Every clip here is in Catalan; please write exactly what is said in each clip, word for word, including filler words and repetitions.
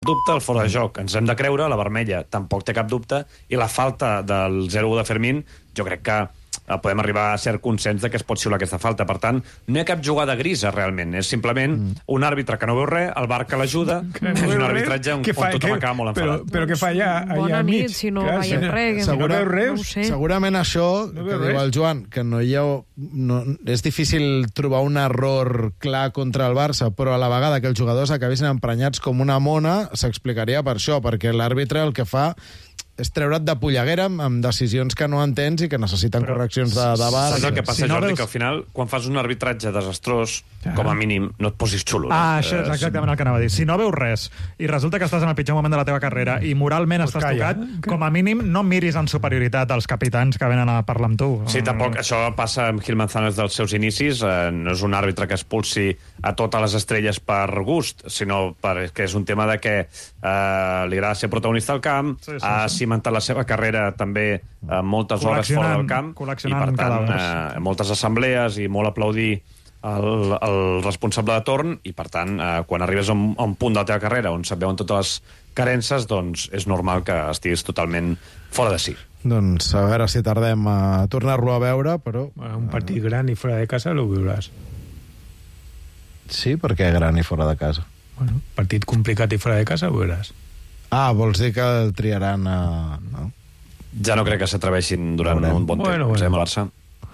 dubte el fora de joc. Ens hem de creure, la vermella tampoc té cap dubte, i la falta del zero u de Fermín, jo crec que podem arribar a cert consens de que es pot xiular aquesta falta. Per tant, no hi ha cap jugada grisa, realment. És simplement mm. un àrbitre que no veu res, el V A R que l'ajuda, no és un arbitratge on, on tothom acaba molt enfadat. Però, però què fa allà, allà Bona mig? nit, si no Clar, veiem si, res. Si no veus res, no sé. Segurament això, no que res. diu el Joan, que no hi ha... No, és difícil trobar un error clar contra el Barça, però a la vegada que els jugadors acabessin emprenyats com una mona, s'explicaria per això, perquè l'àrbitre el que fa és treure't de polleguera amb decisions que no entens i que necessiten però, correccions de, de V A R. Saps el que passa, si no Jordi? veus... Que al final, quan fas un arbitratge desastrós, ah. com a mínim, no et posis xulo. Ah, això és exactament el que anava a dir. Si no veus res i resulta que estàs en el pitjor moment de la teva carrera i moralment pues estàs calla. tocat, com a mínim no miris en superioritat als capitans que venen a parlar amb tu. Sí, tampoc. Això passa amb Gil Manzanares dels seus inicis. Eh, no és un àrbitre que expulsi a totes les estrelles per gust, sinó perquè és un tema de que eh, li agrada ser protagonista al camp, sí, sí, ha sí. cimentat la seva carrera també eh, moltes hores fora del camp i, per tant, eh, moltes assemblees i molt aplaudir el, el responsable de torn i, per tant, eh, quan arribes a un, a un punt de la teva carrera on se't veuen totes les carences, doncs és normal que estiguis totalment fora de si. Doncs a veure si tardem a tornar-lo a veure, però... Un partit gran i fora de casa lo veuràs. Sí, perquè gran i fora de casa. Bueno, partit complicat i fora de casa ho veuràs. Ah, vols dir que el triaran a... No? Ja no crec que s'atreveixin durant un bon bueno, temps. Bueno. Bueno. Barça.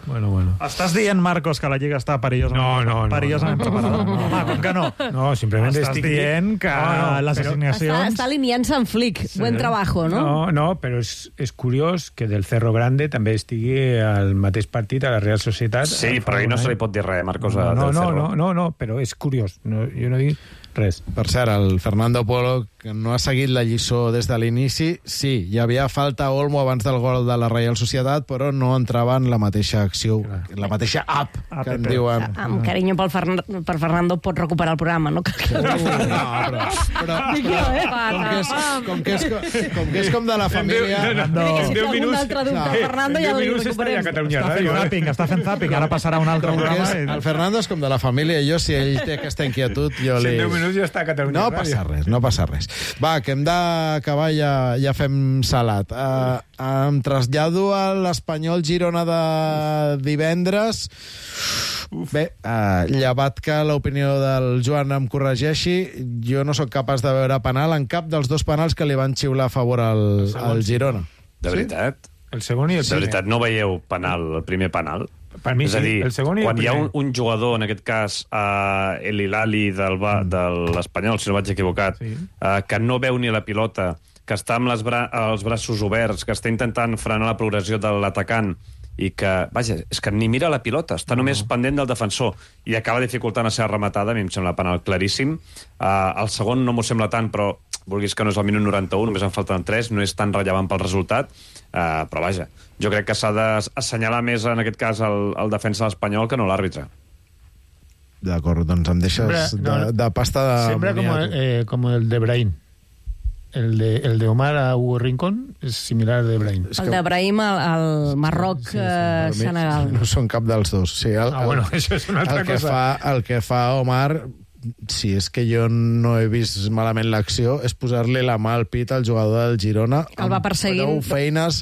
Bueno, bueno. Estàs dient, Marcos, que la Lliga està perillosament, no, no, no, perillosament no, preparada? No, no, no, com que no? No, simplement Estàs estic dient que no, no, les però... assignacions... Està, està alineant-se en flic. Sí. Buen trabajo, no? No, no, però és, és curiós que del Cerro Grande també estigui al mateix partit a la Real Societat. Sí, però ahir no se li pot dir res, Marcos, no, no, del no, Cerro. No, no, no, però és curiós. No, jo no dic res. Per cert, el Fernando Polo, que no ha seguit la lliçó des de l'inici, sí, hi havia falta a Olmo abans del gol de la Reial Societat, però no entrava en la mateixa acció, la mateixa app, que en diuen. Amb carinyo pel Fern per Fernando pot recuperar el programa, no? No, però, però, però com, que és, com, que és, com que és com de la família... No, no. Si té algun altre dubte, no. Fernando, ja el recuperem. Està fent zapping, està fent zapping, ara passarà un altre programa. És, el Fernando és com de la família, i jo, si ell té aquesta inquietud, jo li... Ja està a Catalunya. No passa res, no passa res. Va, que hem d'acabar, ja, ja fem salat. Uh, em trasllado a l'Espanyol Girona de divendres. Uf. Bé, uh, llevat que l'opinió del Joan em corregeixi, jo no sóc capaç de veure penal en cap dels dos penals que li van xiular a favor al, al Girona. De veritat? Sí? El segon i el primer. De veritat, no veieu penal, el primer penal? Per mi és a dir, sí, el segon i el quan primer. hi ha un, un jugador, en aquest cas uh, el Hilali del, mm. de l'Espanyol, si no vaig equivocat, sí. uh, que no veu ni la pilota, que està amb les bra els braços oberts, que està intentant frenar la progressió de l'atacant i que, vaja, és que ni mira la pilota, està només no. pendent del defensor i acaba dificultant la seva rematada. A mi em sembla penal claríssim. Uh, el segon no m'ho sembla tant, però vulguis que no és el minut noranta-u, només en falten tres, no és tan rellevant pel resultat, uh, però vaja, jo crec que s'ha d'assenyalar més en aquest cas el, el defensa l'Espanyol que no l'àrbitre. D'acord, doncs em deixes sembra, no, de, de pasta de sembra com, eh, com el de Brahim. El de, el de Omar a Hugo Rincón és similar al de Brahim. El de Brahim al, al Marroc, sí, sí, sí, Senegal. No són cap dels dos. Sí, el, ah, bueno, això és una altra el que cosa. Fa, el que fa Omar, si és que jo no he vist malament l'acció, és posar-li la mà al pit al jugador del Girona. El va perseguint. Amb feines,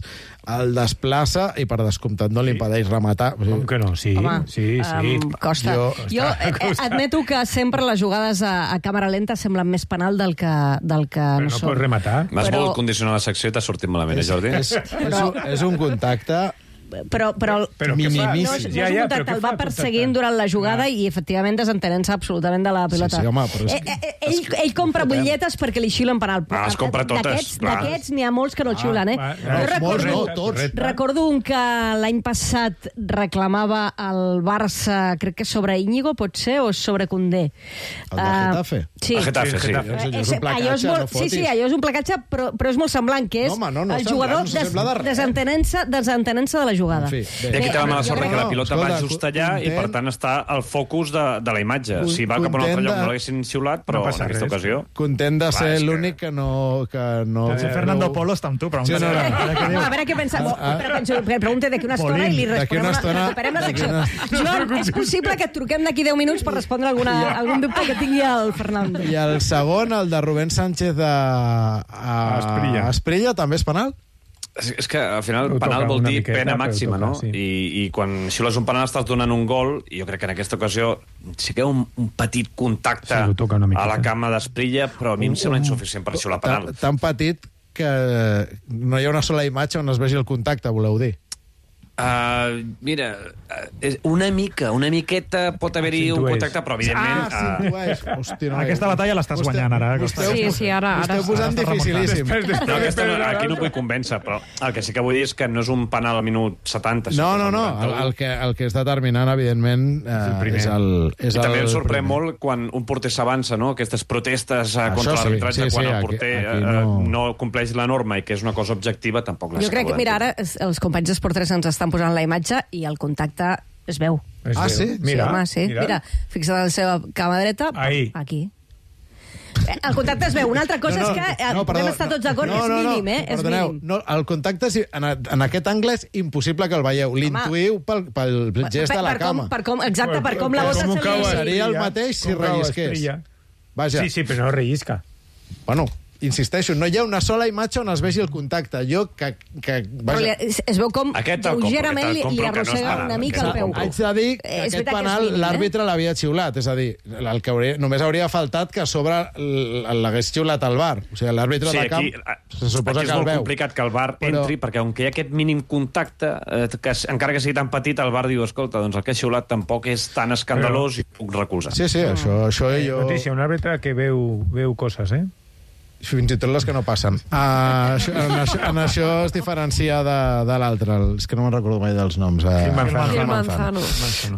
el desplaça i per descomptat no li impedeix rematar. Com que no? Sí, Home, sí, sí. Um, costa. Jo, jo eh, admeto que sempre les jugades a, a càmera lenta semblen més penal del que, del que però no, no són. Pots rematar. M'has però... volgut condicionar la secció i t'ha sortit malament, eh, Jordi? És, és, però... és, és un contacte... Però, però, però no, no, minimis... no és un contacte, el va perseguint durant la jugada i efectivament desentenent-se absolutament de la pilota. Sí, sí, home, però és... eh, eh, ell, ell compra butlletes perquè li xiulen penal. Ah, es compra totes. D'aquests n'hi ha molts que no xiulen, eh? Ah, jo recordo, no, tots. recordo un que l'any passat reclamava el Barça, crec que sobre Íñigo, pot ser, o sobre Condé. El de Getafe? Uh, sí. El Getafe, sí. Getafe. Eh, És un placatge, allò és molt, no fotis. sí, sí, allò és un placatge, però, però és molt semblant, que és no, home, no, no el semblant, jugador no sembla de res. desentenent-se desentenent de la jugada. En fi, bé. I aquí té la mala jo sort crec que la que- pilota Escolta, va just allà i, content- per tant, està al focus de, de la imatge. Con- Si va cap a un altre content lloc de- no l'haguessin xiulat, però No passa en aquesta res. ocasió... Content de Clar, ser és que- l'únic que no... Que no Si Fernando Polo està amb tu, però... Sí, no, no. A veure què pensa. Ah, ah. Però penso, que pregunta d'aquí una estona i li D'aquí responem una estona- recuperem la d'aquí secció. una- Joan, és possible que et truquem d'aquí deu minuts per respondre alguna, algun dubte que tingui el Fernando. I el segon, el de Rubén Sánchez a, a Esprilla. Esprilla, també és penal? És, és que al final Ho penal toca vol una dir miqueta, pena però màxima, toca, no? sí. I, I quan xiules un penal estàs donant un gol, i jo crec que en aquesta ocasió sí que hi ha un, un petit contacte Sí, ho toca una miqueta. a la cama d'Esprilla, però a mi em sembla insuficient per xiular penal. Tan, tan petit que no hi ha una sola imatge on es vegi el contacte, voleu dir? Uh, mira, uh, és una mica, una miqueta pot haver-hi un S'intueix. contacte, però evidentment... Ah, sí, uh, ho és. Hosti, no, Aquesta batalla l'estàs guanyant, ara, Ho Costa. esteu, Sí, sí, ara- ho ara- esteu posant ara estàs dificilíssim. no, aquesta, no, aquí no vull convèncer, però el que sí que vull dir és que no és un penal al minut setanta. No, sinó no, que no. al El, noranta-u. el, que, el que és determinant, evidentment, eh, és el, és I també el em sorprèn primer. molt quan un porter s'avança, no? Aquestes protestes eh, Això contra sí, l'arbitratge, sí, sí, quan el aquí- porter aquí eh, no- no compleix la norma i que és una cosa objectiva, tampoc la Jo crec que, mira, ara es- els companys d'Esportres ens estan posant la imatge i el contacte es veu. Ah, sí? Mira, sí, home, sí. Mira, mira fixa't a la seva cama dreta. Ahí. Aquí. Eh, El contacte es veu. Una altra cosa és que eh, podem estar tots d'acord, no, és no, no, mínim, eh? És perdoneu, mínim. no, el contacte és, en, en aquest angle és impossible que el veieu. L'intuïu pel, pel gest de la per com, cama. per com, exacte, per com la bota Com ho se cau li... a Seria el Esprilla? mateix si Com cau a rellisqués. Esprilla? Vaja, Sí, sí, però no rellisca. bueno, insisteixo, no hi ha una sola imatge on es vegi el contacte. Jo, que... que Però li, vaja, es, es veu com Aquest el compro, lleugerament aquest li, el li compro, que no és arrossega penal, una mica aquest el el peu. compro. haig de dir que Eh, és aquest veritat que és penal mínim, eh? l'àrbitre l'havia xiulat. És a dir, el que hauria, només hauria faltat que a sobre l- l'hagués xiulat al bar. O sigui, l'àrbitre Sí, de camp aquí, se suposa aquí és que el molt veu. complicat que el bar Però- entri, perquè on hi ha aquest mínim contacte, eh, que s- encara que sigui tan petit, el bar diu, escolta, doncs el que ha xiulat tampoc és tan escandalós i puc recolzar. Sí, sí, això, això jo... Notícia, un àrbitre que veu, veu coses, eh? Fins i tot les que no passen. Uh, això, en, això, en això es diferencia de, de l'altre. És que no me'n recordo mai dels noms. Uh, Gil Manzano. Gil Manzano.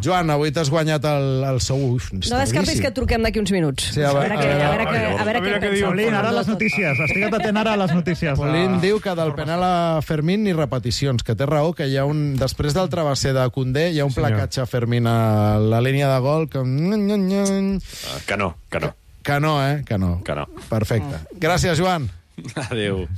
Joan, avui t'has guanyat el, el sou. Uf, No descartis que et truquem d'aquí uns minuts. Sí, a a veure- veure, què, a veure, a què, veure- a veure què què pensa diu. el Polín, ara Fernando les tot. notícies. Estigue't atent ara a les notícies. Polín Ah. diu que del penal a Fermín ni repeticions, que té raó, que hi ha un... Després del travesser de Condé hi ha un Senyor. placatge a Fermín a la línia de gol que... Uh, que no, que no. Que no, eh? Que no. Que no. Perfecte. Gràcies, Joan. Adéu.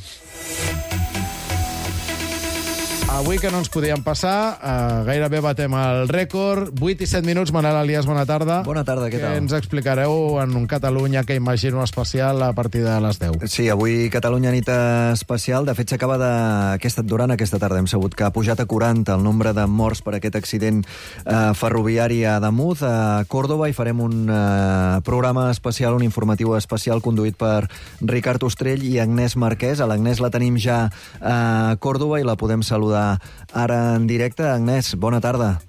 Avui que no ens podíem passar, uh, gairebé batem el rècord. vuit i set minuts, Manel Elias, bona tarda. Bona tarda, què tal? Què ens explicareu en un Catalunya que imagino especial a partir de les deu? Sí, avui Catalunya nit especial. De fet, s'acaba de... Aquesta, durant aquesta tarda hem sabut que ha pujat a quaranta el nombre de morts per aquest accident eh, ferroviari a Ademuz, a Còrdova, i farem un eh, programa especial, un informatiu especial conduït per Ricard Ostrell i Agnès Marquès. A l'Agnès la tenim ja a Còrdova i la podem saludar ara en directe. Agnès, bona tarda.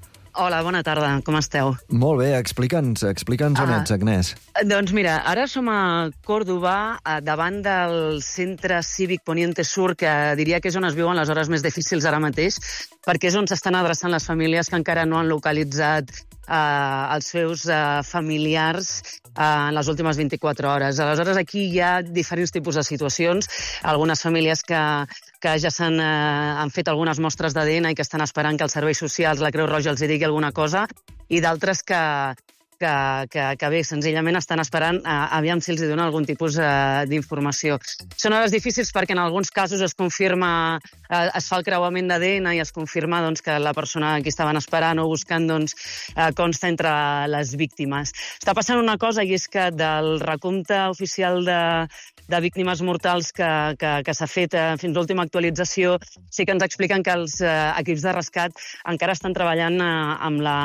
Hola, bona tarda, com esteu? Molt bé, explica'ns, explica'ns on Ah. ets, Agnès. Doncs mira, ara som a Còrdova, eh, davant del centre cívic Poniente Sur, que diria que és on es viuen les hores més difícils ara mateix, perquè és on s'estan adreçant les famílies que encara no han localitzat eh, els seus eh, familiars eh, en les últimes vint-i-quatre hores. Aleshores, aquí hi ha diferents tipus de situacions. Algunes famílies que, que ja s'han eh, han fet algunes mostres d'A D N i que estan esperant que els serveis socials, la Creu Roja, els hi digui alguna cosa, i d'altres que, que, que, que bé, senzillament estan esperant eh, aviam si els hi dona algun tipus eh, d'informació. Són hores difícils perquè en alguns casos es confirma, eh, es fa el creuament d'A D N i es confirma doncs, que la persona a qui estaven esperant o buscant doncs, eh, consta entre les víctimes. Està passant una cosa, i és que del recompte oficial de, de víctimes mortals que, que, que s'ha fet eh, fins a l'última actualització, sí que ens expliquen que els eh, equips de rescat encara estan treballant eh, amb, la,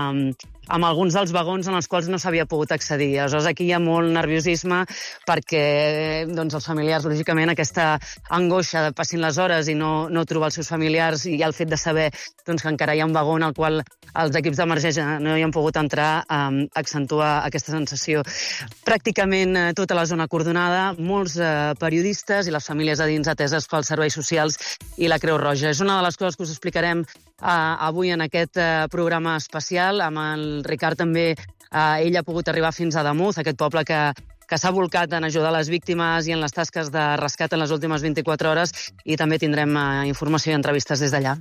amb alguns dels vagons en els quals no s'havia pogut accedir. Aleshores, aquí hi ha molt nerviosisme perquè doncs, els familiars, lògicament, aquesta angoixa de passin les hores i no, no trobar els seus familiars, i el fet de saber doncs, que encara hi ha un vagó en el qual els equips d'emergència no hi han pogut entrar, eh, accentua aquesta sensació. Pràcticament eh, tota la zona acordonada, molts eh, periodistes i les famílies a dins ateses pels serveis socials i la Creu Roja. És una de les coses que us explicarem eh, avui en aquest eh, programa especial. Amb el Ricard també, eh, ell ha pogut arribar fins a Ademuz, aquest poble que, que s'ha volcat en ajudar les víctimes i en les tasques de rescat en les últimes vint-i-quatre hores, i també tindrem eh, informació i entrevistes des d'allà.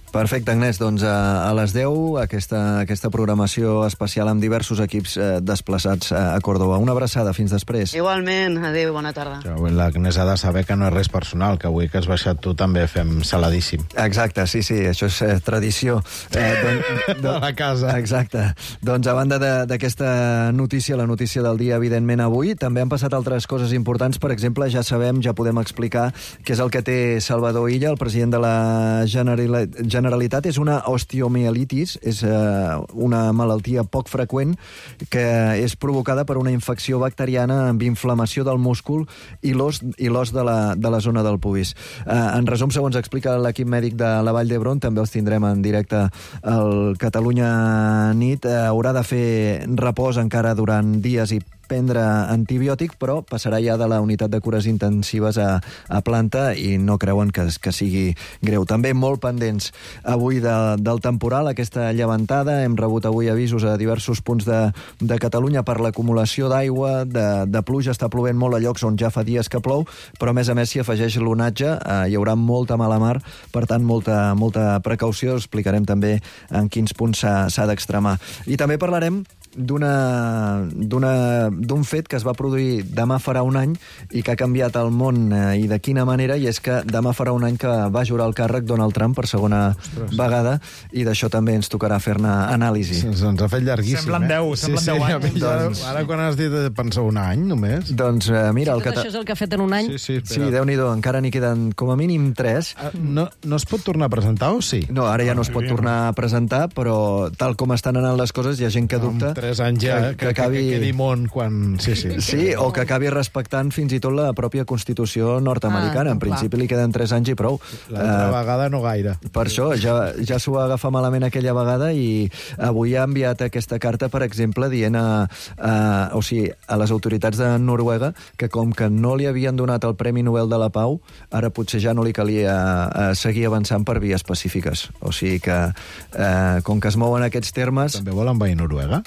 Perfecte, Agnès. Doncs a, a les deu aquesta, aquesta programació especial amb diversos equips eh, desplaçats a, a Còrdova. Una abraçada, fins després. Igualment, adéu, bona tarda. Avui l'Agnès ha de saber que no és res personal, que avui que has baixat tu també fem saladíssim. Exacte, sí, sí, això és eh, tradició. Eh, don, don, de la casa. Exacte. Doncs a banda d'aquesta notícia, la notícia del dia, evidentment, avui, també han passat altres coses importants. Per exemple, ja sabem, ja podem explicar què és el que té Salvador Illa, el president de la Generalitat. Generalitat és una osteomielitis, és eh, una malaltia poc freqüent que és provocada per una infecció bacteriana amb inflamació del múscul i l'os i l'os de, la, de la zona del pubis. Eh, en resum, segons explica l'equip mèdic de la Vall d'Hebron, també els tindrem en directe al Catalunya Nit, eh, haurà de fer repòs encara durant dies i prendre antibiòtic, però passarà ja de la unitat de cures intensives a, a planta i no creuen que, que sigui greu. També molt pendents avui de, del temporal, aquesta llevantada. Hem rebut avui avisos a diversos punts de, de Catalunya per l'acumulació d'aigua, de, de pluja. Està plovent molt a llocs on ja fa dies que plou, però a més a més s'hi afegeix l'onatge. Eh, hi haurà molta mala mar, per tant, molta, molta precaució. Explicarem també en quins punts s'ha d'extremar. I també parlarem d'un fet que es va produir demà farà un any i que ha canviat el món, eh, i de quina manera, i és que demà farà un any que va jurar el càrrec Donald Trump per segona Ostres. vegada, i d'això també ens tocarà fer-ne anàlisi. Se'ns ens ha fet llarguíssim. Semblen deu, eh? semblen sí, deu sí, anys. Doncs... Ara quan has dit pensa un any només. Doncs eh, mira... Sí, tot cata... això és el que ha fet en un any? Sí, sí, sí Déu-n'hi-do, encara n'hi queden com a mínim tres. No, no es pot tornar a presentar o sí? No, ara ja no es pot tornar a presentar, però tal com estan anant les coses, hi ha gent que dubta... Amb tres anys ja, que, que, acabi... que quedi món quan... Sí, sí. Sí, o que acabi respectant fins i tot la pròpia Constitució nord-americana. Ah, en principi clar. Li queden tres anys i prou. L'altra uh, vegada no gaire. Per això, ja, ja s'ho va agafar malament aquella vegada i avui ha enviat aquesta carta, per exemple, dient a, a, o sigui, a les autoritats de Noruega que com que no li havien donat el Premi Nobel de la Pau, ara potser ja no li calia uh, seguir avançant per vies pacífiques. O sigui que, uh, com que es mouen aquests termes... També volen envair Noruega?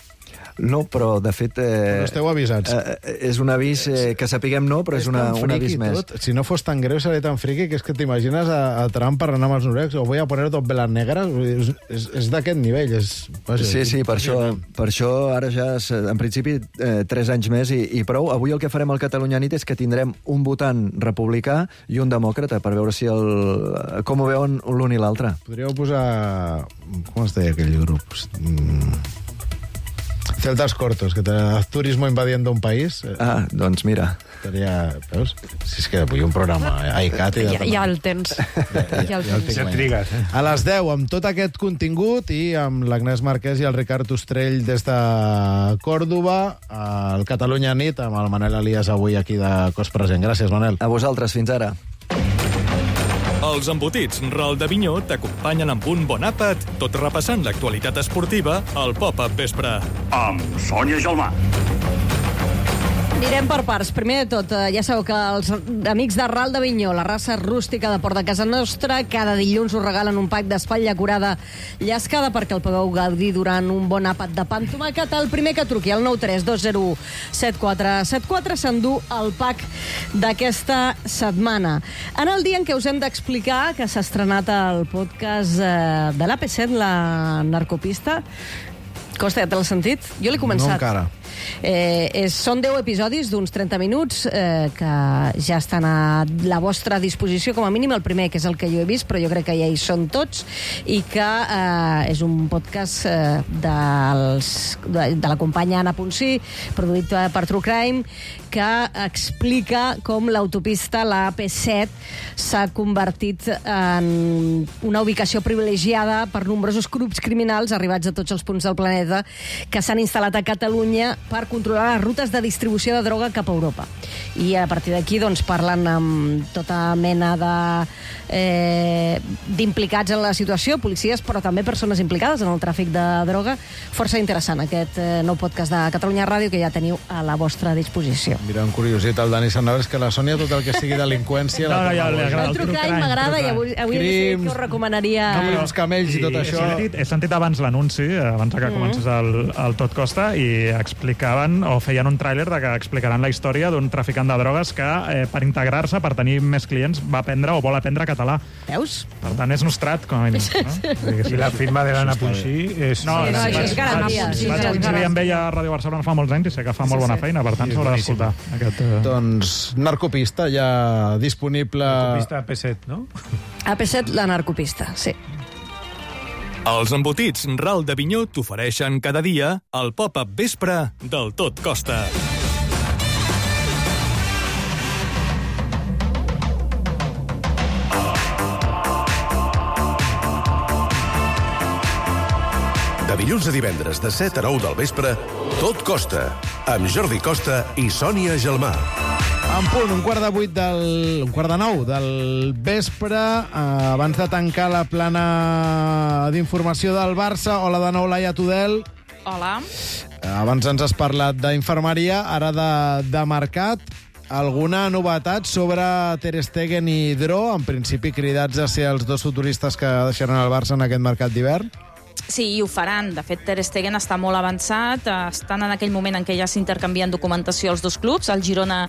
No, però de fet... Eh, però esteu avisats. Eh, és un avís eh, que sapiguem no, però és, és una, un avís més. Tot. Si no fos tan greu, seria tan friqui que és que t'imagines a, a Trump parlant amb els noruecs, o voy a poner dos velas negres, és, és, és d'aquest nivell. És, vaja, sí, sí, per això, per això ara ja, en principi, eh, tres anys més i, i prou. Avui el que farem al Catalunya Nit és que tindrem un votant republicà i un demòcrata, per veure si el, com ho veuen l'un i l'altre. Podríeu posar... Com es deia aquell grup? Mm... Celtas cortos, que te turismo invadiendo un país. Ah, doncs mira. Estaria, veus? Si és que avui un programa iCat i... Ja, ja el tens. Ja, ja el tens. Ja trigues, eh? A les deu, amb tot aquest contingut i amb l'Agnès Marquès i el Ricard Ostrell des de Còrdova, al Catalunya Nit, amb el Manel Elias avui aquí de cos present. Gràcies, Manel. A vosaltres, fins ara. Els embotits Ral de Vinyó t'acompanyen amb un bon àpat, tot repassant l'actualitat esportiva al Pop-Up Vespre. Amb Sònia Gelmà. Anirem per parts. Primer de tot, ja sabeu que els amics de Ral de Vinyó, la raça rústica de Port de Casa Nostra, cada dilluns us regalen un pack d'espatlla curada llascada perquè el pugueu gaudir durant un bon àpat de pa amb tomàquet. El primer que truqui al nou tres dos zero u set quatre set quatre s'endú el pack d'aquesta setmana. En el dia en què us hem d'explicar que s'ha estrenat el podcast de l'A P set, la narcopista. Costa, ja te l'has sentit? Jo l'he començat. No encara. Eh, és, són deu episodis d'uns trenta minuts eh, que ja estan a la vostra disposició, com a mínim el primer, que és el que jo he vist, però jo crec que ja hi són tots, i que eh, és un podcast eh, dels, de, de la companya Anna Ponsí, produït per True Crime, que explica com l'autopista, la A P set, s'ha convertit en una ubicació privilegiada per nombrosos grups criminals arribats a tots els punts del planeta que s'han instal·lat a Catalunya per controlar les rutes de distribució de droga cap a Europa. I a partir d'aquí doncs, parlen amb tota mena de eh, d'implicats en la situació, policies, però també persones implicades en el tràfic de droga. Força interessant aquest eh, nou podcast de Catalunya Ràdio que ja teniu a la vostra disposició. Mira, un curiositat, el Dani Sanabres, que la Sònia, tot el que sigui delinqüència... No, no, ja li agrada el True Crime, m'agrada, i avui, avui he decidit que us recomanaria... No, els camells i, i tot això... He sentit, he sentit abans l'anunci, abans que comences el, el Tot Costa, i explica explicaven o feien un tràiler de que explicaran la història d'un traficant de drogues que eh, per integrar-se, per tenir més clients, va aprendre o vol aprendre català. Veus? Per tant, és nostrat, com a mínim. No? I la firma de l'Anna Puigcí és... No, Sí, no, això és garantia. Vaig, Sí, vaig sí, és coincidir amb garantia. ella a Ràdio Barcelona fa molts anys i sé que fa molt Sí, bona sí. feina, per tant Sí, és s'haurà boníssim. d'escoltar aquest... Eh... Doncs Narcopista ja disponible... Pista P set, no? A P set, la narcopista, sí. Els embotits Ral de Vinyó t'ofereixen cada dia el pop-up vespre del Tot Costa. De dilluns a divendres, de set a nou del vespre, Tot Costa, amb Jordi Costa i Sònia Gelmà. En punt, un quart de vuit del... un quart de nou del vespre, eh, abans de tancar la plana d'informació del Barça. Hola de nou, Laia Tudel. Hola. Eh, abans ens has parlat d'infermeria, ara de, de mercat. Alguna novetat sobre Ter Stegen i Dro? En principi cridats a ser els dos futuristes que deixaran el Barça en aquest mercat d'hivern? Sí, i ho faran. De fet, Ter Stegen està molt avançat. Estan en aquell moment en què ja s'intercanvien documentació els dos clubs, el Girona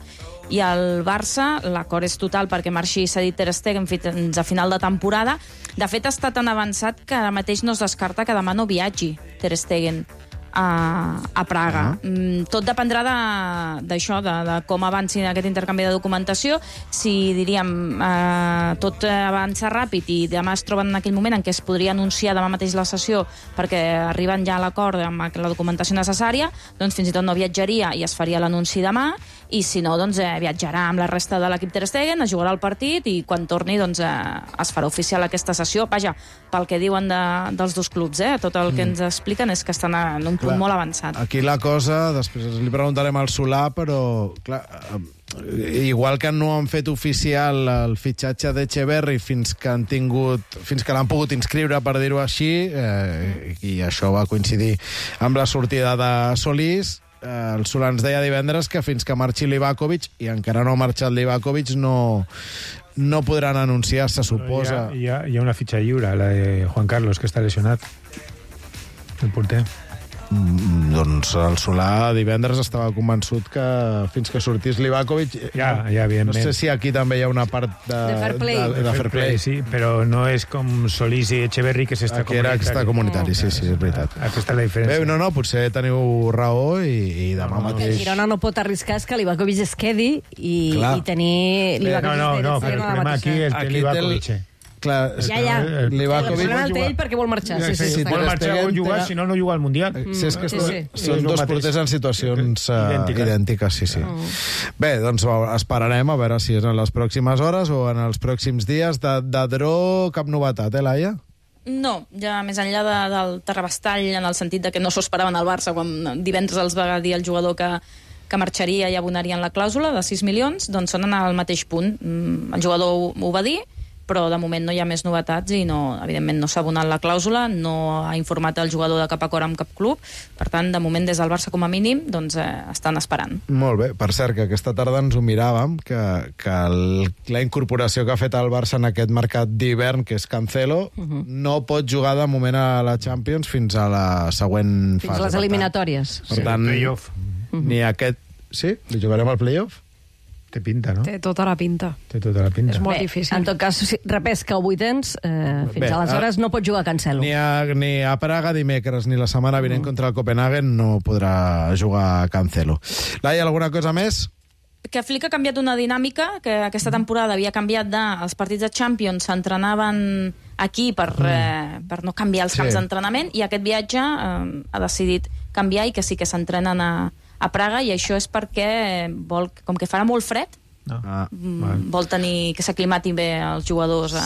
i el Barça. L'acord és total perquè marxi cedit Ter Stegen fins a final de temporada. De fet, està tan avançat que ara mateix no es descarta que demà no viatgi Ter Stegen a, a Praga. Uh -huh. Tot dependrà d'això, de, de, de com avanci aquest intercanvi de documentació. Si, diríem, eh, tot avança ràpid i demà es troben en aquell moment en què es podria anunciar demà mateix la sessió perquè arriben ja a l'acord amb la documentació necessària, doncs fins i tot no viatjaria i es faria l'anunci demà, i si no, doncs eh, viatjarà amb la resta de l'equip Ter Stegen, es jugarà el partit i quan torni doncs, eh, es farà oficial aquesta sessió. Vaja, pel que diuen de, dels dos clubs, eh? Tot el que ens expliquen és que estan en un punt molt avançat. Aquí la cosa, després li preguntarem al Solà, però clar, igual que no han fet oficial el fitxatge d'Echeverri fins que han tingut, fins que l'han pogut inscriure, per dir-ho així, eh, i això va coincidir amb la sortida de Solís, eh, el Solà ens deia divendres que fins que marxi Livakovic, i encara no ha marxat Livakovic, no, no podran anunciar, se suposa. Hi ha, hi ha, hi ha una fitxa lliure, la de Juan Carlos, que està lesionat, el porter. Mm, doncs el Solà divendres estava convençut que fins que sortís Livakovic... Ja, ja, evidentment. No sé si aquí també hi ha una part de, De fair play. De, de, de fair play. Sí, però no és com Solís i Echeverri, que és Aquí era extra comunitari, sí, sí, és veritat. Aquesta és la diferència. Bé, no, no, potser teniu raó i, i demà No, no, El mateix... Girona no pot arriscar és que Livakovic es quedi i, Clar. i tenir No, Livakovic no, de no, Ter però el Stegen a la problema mateixa. aquí és Aquí el té el- Livakovic. Clar, Ja, ja. el Livakovic... El problema el té ell perquè vol marxar. Sí, sí, sí, sí, està Vol clar. marxar, vol jugar, si no, no juga al Mundial. Si és que Sí, són, sí. són És el dos mateix. porters en situacions uh, Idèntiques. idèntiques, sí, sí. Bé, doncs esperarem a veure si és en les pròximes hores o en els pròxims dies. De, de Dro, cap novetat, eh, Laia? No, ja més enllà de, del terrabastall, en el sentit de que no s'ho esperaven al Barça, quan divendres els va dir el jugador que, que marxaria i abonarien la clàusula de sis milions, doncs són en el mateix punt. El jugador ho, ho va dir, però de moment no hi ha més novetats i no, evidentment no s'ha abonat la clàusula, no ha informat el jugador de cap acord amb cap club, per tant, de moment des del Barça com a mínim doncs, eh, estan esperant. Molt bé. Per cert, que aquesta tarda ens ho miràvem, que, que el, la incorporació que ha fet el Barça en aquest mercat d'hivern, que és Cancelo, uh -huh. no pot jugar de moment a la Champions fins a la següent Fins fase. a les Per tant- eliminatòries. Per tant, Playoff. ni aquest... Sí? Li jugarem al playoff? Té pinta, no? Té tota la pinta. Té tota la pinta. És molt Bé, difícil. en tot cas, si repesca o vuitens, eh, fins Bé, aleshores no pot jugar Cancelo. Ni a, ni a Praga dimecres ni la setmana vinent contra el Copenhagen no podrà jugar Cancelo. Laia, alguna cosa més? Que Flick ha canviat una dinàmica que aquesta temporada havia canviat de... Els partits de Champions s'entrenaven aquí per, eh, per no canviar els Sí. camps d'entrenament i aquest viatge eh, ha decidit canviar i que sí que s'entrenen a, a Praga, i això és perquè vol, com que farà molt fred, No. Ah, mm, vol tenir que s'aclimatin bé els jugadors a,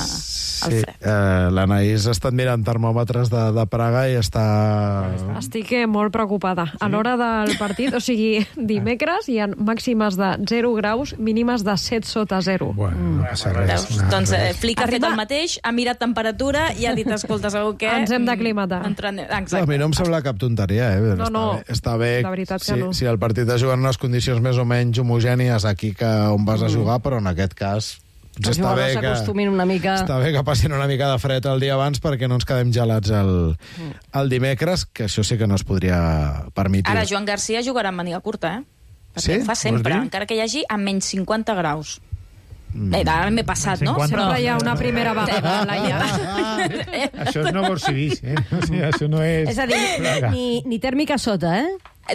al sí, fred. eh, l'Anaïs està mirant termòmetres de, de Praga i està... Estic eh, molt preocupada. A l'hora del partit, o sigui, dimecres hi ha màximes de zero graus, mínimes de set sota zero. Bueno, no passa res. Veus? no, Doncs eh, res. Flick ha fet Arriba- el mateix, ha mirat temperatura i ha dit, escolta, segur que... Ens hem d'aclimatar. mm, entren- No, a Exacte. mi no em sembla cap tonteria, eh? No, està no, bé, està bé la veritat que si, no. si el partit es juga en unes condicions més o menys homogènies aquí que on vas a jugar, però en aquest cas Els jugadors s'acostumin una mica... Està bé que passin una mica de fred el dia abans perquè no ens quedem gelats el, el dimecres, que això sí que no es podria permetre. Ara, Joan Garcia jugarà amb màniga curta, eh? Perquè Sí? ho fa sempre, Vols dir? encara que hi hagi a menys cinquanta graus. Eh, ara m'he passat, no? Sempre hi ha una primera vegada, Laia. Això és no Borsivís, eh? O sigui, això no és... És a dir, ni, ni tèrmica sota, eh?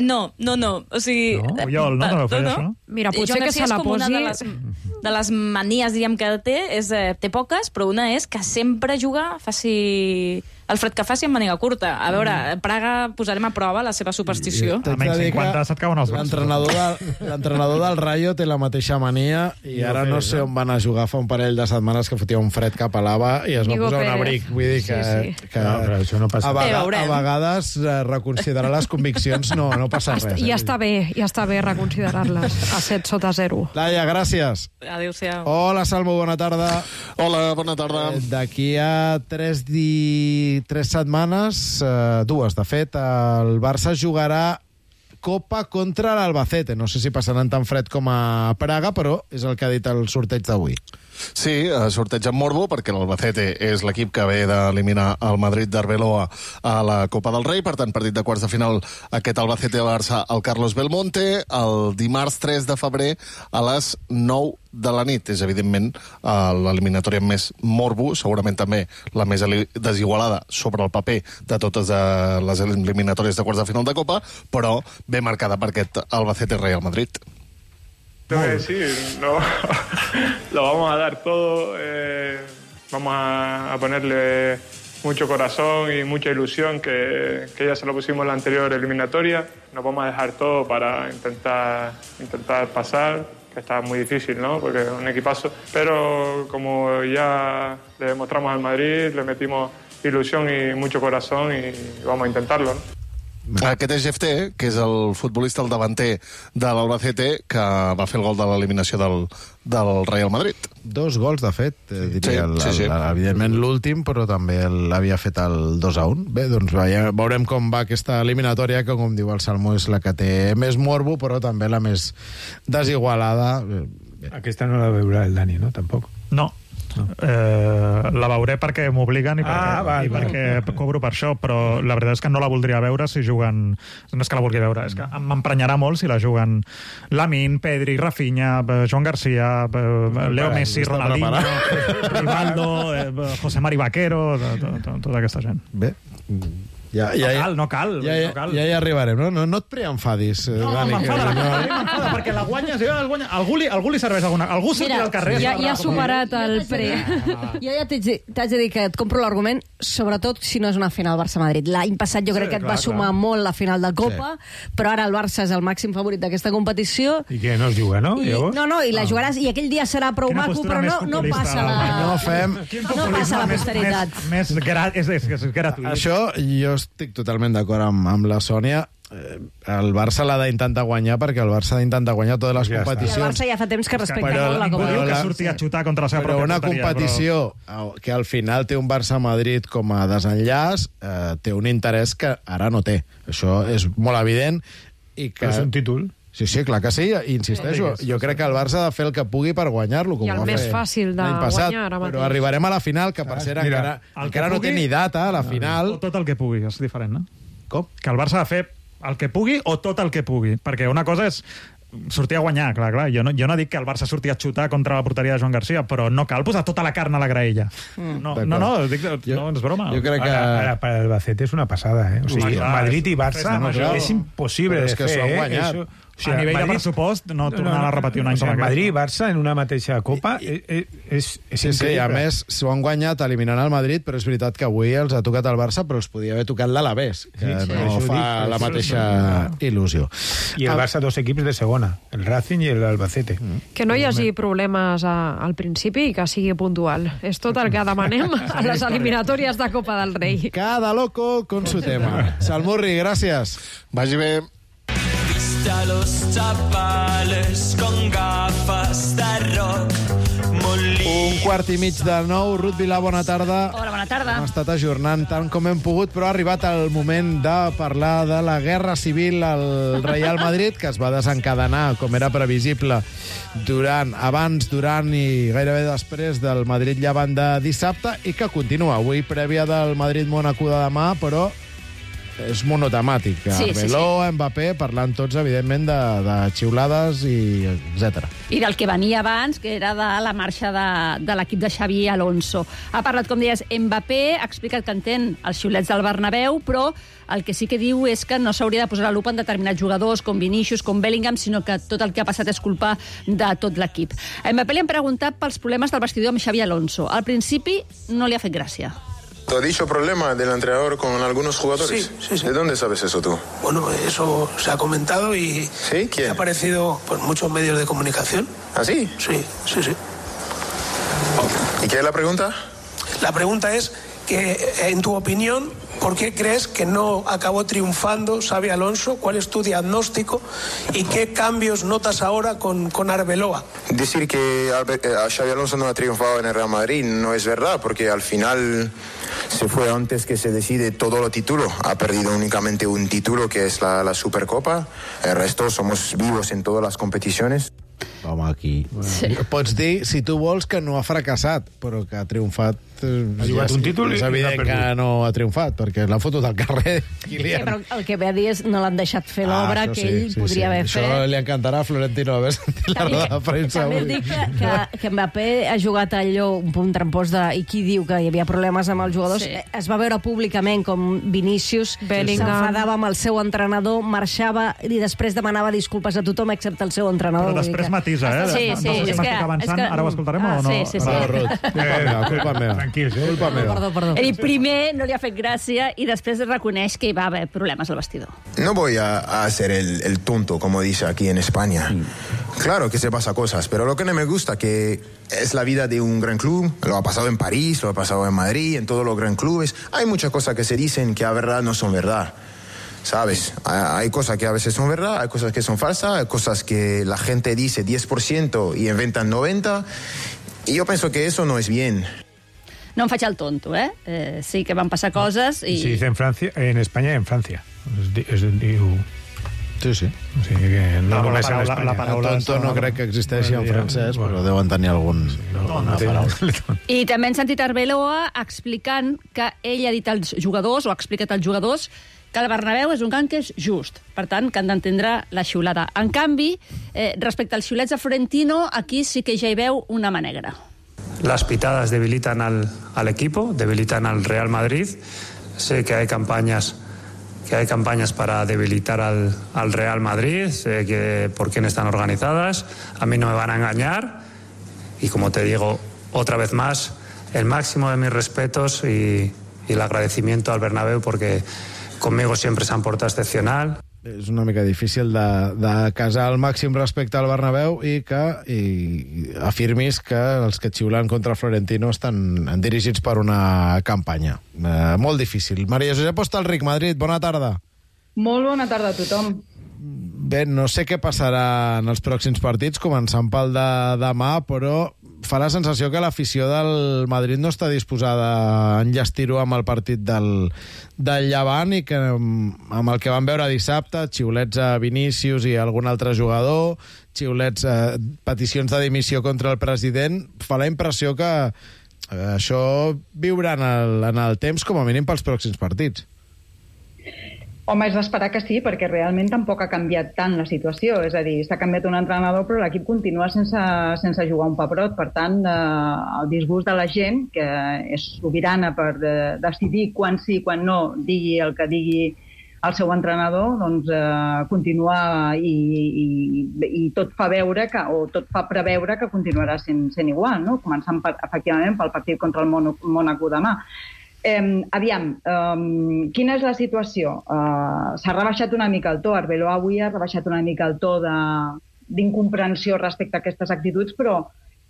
No, no, no. O sigui... No? Oriol, no? No, no, no, no? Mira, potser Joan que Garcia se la és com una posi... de les, de les manies, diríem, que té, és, eh, té poques, però una és que sempre juga, faci el fred que faci amb màniga curta. A veure, a Praga posarem a prova la seva superstició. A menys cinquanta se't cauen els braços. L'entrenador del, l'entrenador del Rayo té la mateixa mania i ara no sé on van a jugar fa un parell de setmanes que fotia un fred cap a l'Ava i es va Nico posar un Pérez. abric. Vull dir que, Sí, sí. que No, però això no passa. a, vega, Eh, a vegades eh, reconsiderar les conviccions no, no passa res. Ja Eh? està bé, ja està bé reconsiderar-les a set sota zero. Laia, gràcies. Adéu-siau. Hola, Salmo, bona tarda. Hola, bona tarda. Eh, D'aquí a tres, di... tres setmanes, eh, dues, de fet, el Barça jugarà Copa contra l'Albacete. No sé si passaran tan fred com a Praga, però és el que ha dit el sorteig d'avui. Sí, sorteig amb morbo, perquè l'Albacete és l'equip que ve d'eliminar el Madrid d'Arbeloa a la Copa del Rei. Per tant, partit de quarts de final, aquest Albacete-Barça al Carlos Belmonte, el dimarts tres de febrer a les nou de la nit. És, evidentment, l'eliminatòria amb més morbo, segurament també la més desigualada sobre el paper de totes les eliminatòries de quarts de final de Copa, però ben marcada per aquest Albacete-Real Madrid. Tengo que decir, lo, lo vamos a dar todo, eh, vamos a, a ponerle mucho corazón y mucha ilusión, que, que ya se lo pusimos en la anterior eliminatoria. Nos vamos a dejar todo para intentar, intentar pasar, que está muy difícil, ¿no? Porque es un equipazo. Pero como ya le demostramos al Madrid, le metimos ilusión y mucho corazón y vamos a intentarlo, ¿no? Aquest és Jefté, que és el futbolista, el davanter de l'Albacete, que va fer el gol de l'eliminació del, del Real Madrid. Dos gols, de fet, eh, diria, Sí, sí, sí. el, el, evidentment l'últim, però també l'havia fet el dos a un. Bé, doncs veiem, veurem com va aquesta eliminatòria, que, com diu el Salmo, és la que té més morbo, però també la més desigualada. Aquesta no la veurà el Dani, no? Tampoc. No. Eh, la veuré perquè m'obliguen i, perquè, Ah, val, i perquè cobro per això, però la veritat és que no la voldria veure si juguen... No és que la vulgui veure, és que m'emprenyarà molt si la juguen Lamine, Pedri, Rafinha, Joan Garcia, Leo Messi, Ronaldinho, Rivaldo, eh, José Mari Vaquero, tota aquesta gent. Bé, ja, ja, no cal, no cal. Ja, ja, no cal. ja hi arribarem, no? No, no et preenfadis, eh, No, Dani. m'enfada, que no. m'enfada, perquè la guanyes, ja la guanya. Algú li, algú li serveix alguna... Algú sortirà Mira, al carrer... Ja, a ja ha superat el pre. Jo ja t'haig de, t'haig de dir que et compro l'argument, sobretot si no és una final Barça-Madrid. L'any passat jo crec Sí, que et clar, va sumar clar. molt la final de Copa, però ara el Barça és el màxim favorit d'aquesta competició. I què, no es juga, no? I, Llavors? no, no, i la jugaràs, i aquell dia serà prou Quina maco, postura però no, més no populista, passa la... No fem... No passa la posteritat. Més, més, més gra, és, és, és gratuït. Això jo estic totalment d'acord amb, amb la Sònia. Eh, El Barça l'ha d'intentar guanyar perquè el Barça ha d'intentar guanyar totes les Ja està. I el competicions. Barça ja fa temps que respecta Però- molt la Ningú Copa. diu que la- surti a xutar contra la seva Però pròpia una porteria, competició però... que al final té un Barça-Madrid com a desenllaç, eh, té un interès que ara no té. Això és molt evident. I que... Però és un títol. Sí, sí, clar que sí, i insisteixo. Sí. Jo crec que el Barça ha de fer el que pugui per guanyar-lo, com I el va més fer fàcil de l'any passat. guanyar ara mateix. Però arribarem a la final, que per Ah, cert mira, encara, el encara que no té pugui- ni data, la final. O tot el que pugui, és diferent, no? Com? Que el Barça ha de fer el que pugui o tot el que pugui. Perquè una cosa és sortir a guanyar, clar, clar. Jo no, jo no dic que el Barça surti a xutar contra la porteria de Joan Garcia, però no cal posar tota la carn a la graella. No, no, no, dic, no, és broma. Jo crec que... Ara, ara, per Albacete és una passada, eh? O sigui, Clar, Madrid i és- Barça és major. és impossible Però de és que fer, s'ho han eh? guanyat. Això- o A nivell de pressupost, no tornar a repetir un any o sigui, com aquest. Madrid i Barça en una mateixa Copa és, és, és Sí, sí, a increïble. més, s'ho han guanyat eliminant el Madrid, però és veritat que avui els ha tocat el Barça, però els podia haver tocat l'Alavés, que Sí, sí, no això ho fa dic, la això mateixa és- il·lusió. I el Ah, Barça dos equips de segona, el Racing i l'Albacete. Que no hi hagi problemes a, al principi i que sigui puntual. És tot el que demanem a les eliminatòries de Copa del Rei. Cada loco con su tema. Salmurri, gràcies. Vagi bé. A los chavales con gafas de rock, molí. Un quart i mig de nou. Ruth Vilà, bona tarda. Hola, bona tarda. Hem estat ajornant tant com hem pogut, però ha arribat el moment de parlar de la guerra civil al Real Madrid, que es va desencadenar, com era previsible, durant, abans, durant i gairebé després del Madrid-Llevant de dissabte, i que continua avui, prèvia del Madrid-Mónaco de demà, però és monotemàtic. Sí, sí, Arbeloa, sí. Mbappé, parlant tots, evidentment, de, de xiulades i etcètera. I del que venia abans, que era de la marxa de, de l'equip de Xavi Alonso. Ha parlat, com deies, Mbappé, ha explicat que entén els xiulets del Bernabéu, però el que sí que diu és que no s'hauria de posar la lupa en determinats jugadors, com Vinícius, com Bellingham, sinó que tot el que ha passat és culpa de tot l'equip. A Mbappé li han preguntat pels problemes del vestidor amb Xavi Alonso. Al principi no li ha fet gràcia. ¿Tú has dicho problema del entrenador con algunos jugadores? Sí, sí, sí. ¿De dónde sabes eso tú? Bueno, eso se ha comentado y ¿Sí? ¿Quién? ha aparecido por muchos medios de comunicación. ¿Ah, sí? Sí, sí, sí. ¿Y qué es la pregunta? La pregunta es que, en tu opinión, ¿por qué crees que no acabó triunfando Xavi Alonso? ¿Cuál es tu diagnóstico? ¿Y qué cambios notas ahora con, con Arbeloa? Decir que Xavi Alonso no ha triunfado en el Real Madrid no es verdad, porque al final se fue antes que se decide todo lo título. Ha perdido únicamente un título, que es la, la Supercopa. El resto somos vivos en todas las competiciones. Home, aquí... Sí. Pots dir, si tu vols, que no ha fracassat, però que ha triomfat... Ha jugat un títol i és l'ha evident perdut. que no ha triomfat, perquè l'ha fotut al carrer. Sí, però el que ve a dir és no l'han deixat fer l'obra això que sí, ell sí, podria sí. haver Això fet. li encantarà a Florentino haver sentit la roda de premsa També avui. dic que, que, que Mbappé ha jugat allò un punt trampós de i qui diu que hi havia problemes amb els jugadors. Sí. Es va veure públicament com Vinícius Bellingham. s'enfadava amb el seu entrenador, marxava i després demanava disculpes a tothom excepte el seu entrenador. Però Vull dir després que- matisa, eh? Sí, sí, no sé si és m'estic que- avançant, és que- ara ho escoltarem Ah, o no? sí, sí, sí. Va, Ruth. Culpa meva, culpa meva. Tranquils, eh? Culpa meva. Perdó, perdó. Ell primer no li ha fet gràcia i després reconeix que hi va haver problemes al vestidor. No voy a, a hacer el, el tonto, como dice aquí en España. Claro que se pasa cosas, pero lo que no me gusta que es la vida de un gran club. Lo ha pasado en París, lo ha pasado en Madrid, en todos los gran clubes. Hay muchas cosas que se dicen que a verdad no son verdad. ¿Sabes? Hay cosas que a veces son verdad, hay cosas que son falsas, hay cosas que la gente dice diez por ciento y inventan noventa por ciento. Y yo pienso que eso no es bien. No em faig el tonto, eh? eh sí que van passar coses i... Se dice en Francia, en España y en Francia. Es, di- es, diu... Sí, sí. O sigui que no La només paraula- en Espanya. la El paraula tonto no crec que existeixi en francès, però deuen tenir algun, alguna paraula. I també hem sentit Arbeloa explicant que ell ha dit als jugadors, o ha explicat als jugadors, que el Bernabéu és un camp que és just. Per tant, que han d'entendre la xiulada. En canvi, eh, respecte als xiulets de Florentino, aquí sí que ja hi veu una mà negra. Las pitadas debilitan al, al equipo, debilitan al Real Madrid. Sé que hay campañas que hay campañas para debilitar al, al Real Madrid, sé que por quién están organizadas. A mí no me van a engañar. Y como te digo, otra vez más, el máximo de mis respetos y, y el agradecimiento al Bernabéu, porque conmigo siempre se han portado excepcional. És una mica difícil de, de casar el màxim respecte al Bernabéu i que i, i afirmis que els que xiulen contra Florentino estan dirigits per una campanya. Eh, molt difícil. Maria Josep Hostalric, Madrid, bona tarda. Molt bona tarda a tothom. Bé, no sé què passarà en els pròxims partits, començant pel de demà, però fa la sensació que l'afició del Madrid no està disposada a enllestir-ho amb el partit del, del Llevant i que amb el que vam veure dissabte, xiulets a Vinícius i algun altre jugador, xiulets, eh, peticions de dimissió contra el president, fa la impressió que eh, això viurà en el, en el temps com a mínim pels pròxims partits. Home, és d'esperar que sí, perquè realment tampoc ha canviat tant la situació. És a dir, s'ha canviat un entrenador, però l'equip continua sense, sense jugar un pebrot. Per tant, eh, el disgust de la gent, que és sobirana per de, decidir quan sí, quan no, digui el que digui el seu entrenador, doncs eh, continua i, i, i tot fa veure que, o tot fa preveure que continuarà sent, sent igual, no? Començant per, efectivament pel partit contra el Mónaco demà. Eh, aviam, eh, quina és la situació? Eh, s'ha rebaixat una mica el to, Arbeloa avui ha rebaixat una mica el to d'incomprensió respecte a aquestes actituds, però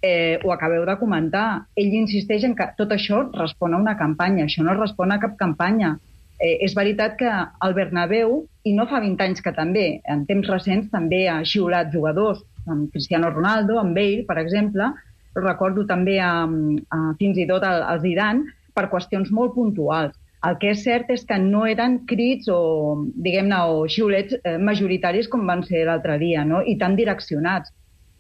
eh, ho acabeu de comentar. Ell insisteix en que tot això respon a una campanya, això no respon a cap campanya. Eh, és veritat que el Bernabéu, i no fa vint anys que també, en temps recents també ha xiulat jugadors, amb Cristiano Ronaldo, amb Bale, per exemple, recordo també a, a, fins i tot al, al Zidane, per qüestions molt puntuals. El que és cert és que no eren crits o, diguem-ne, o xiulets eh, majoritaris com van ser l'altre dia, no? I tan direccionats.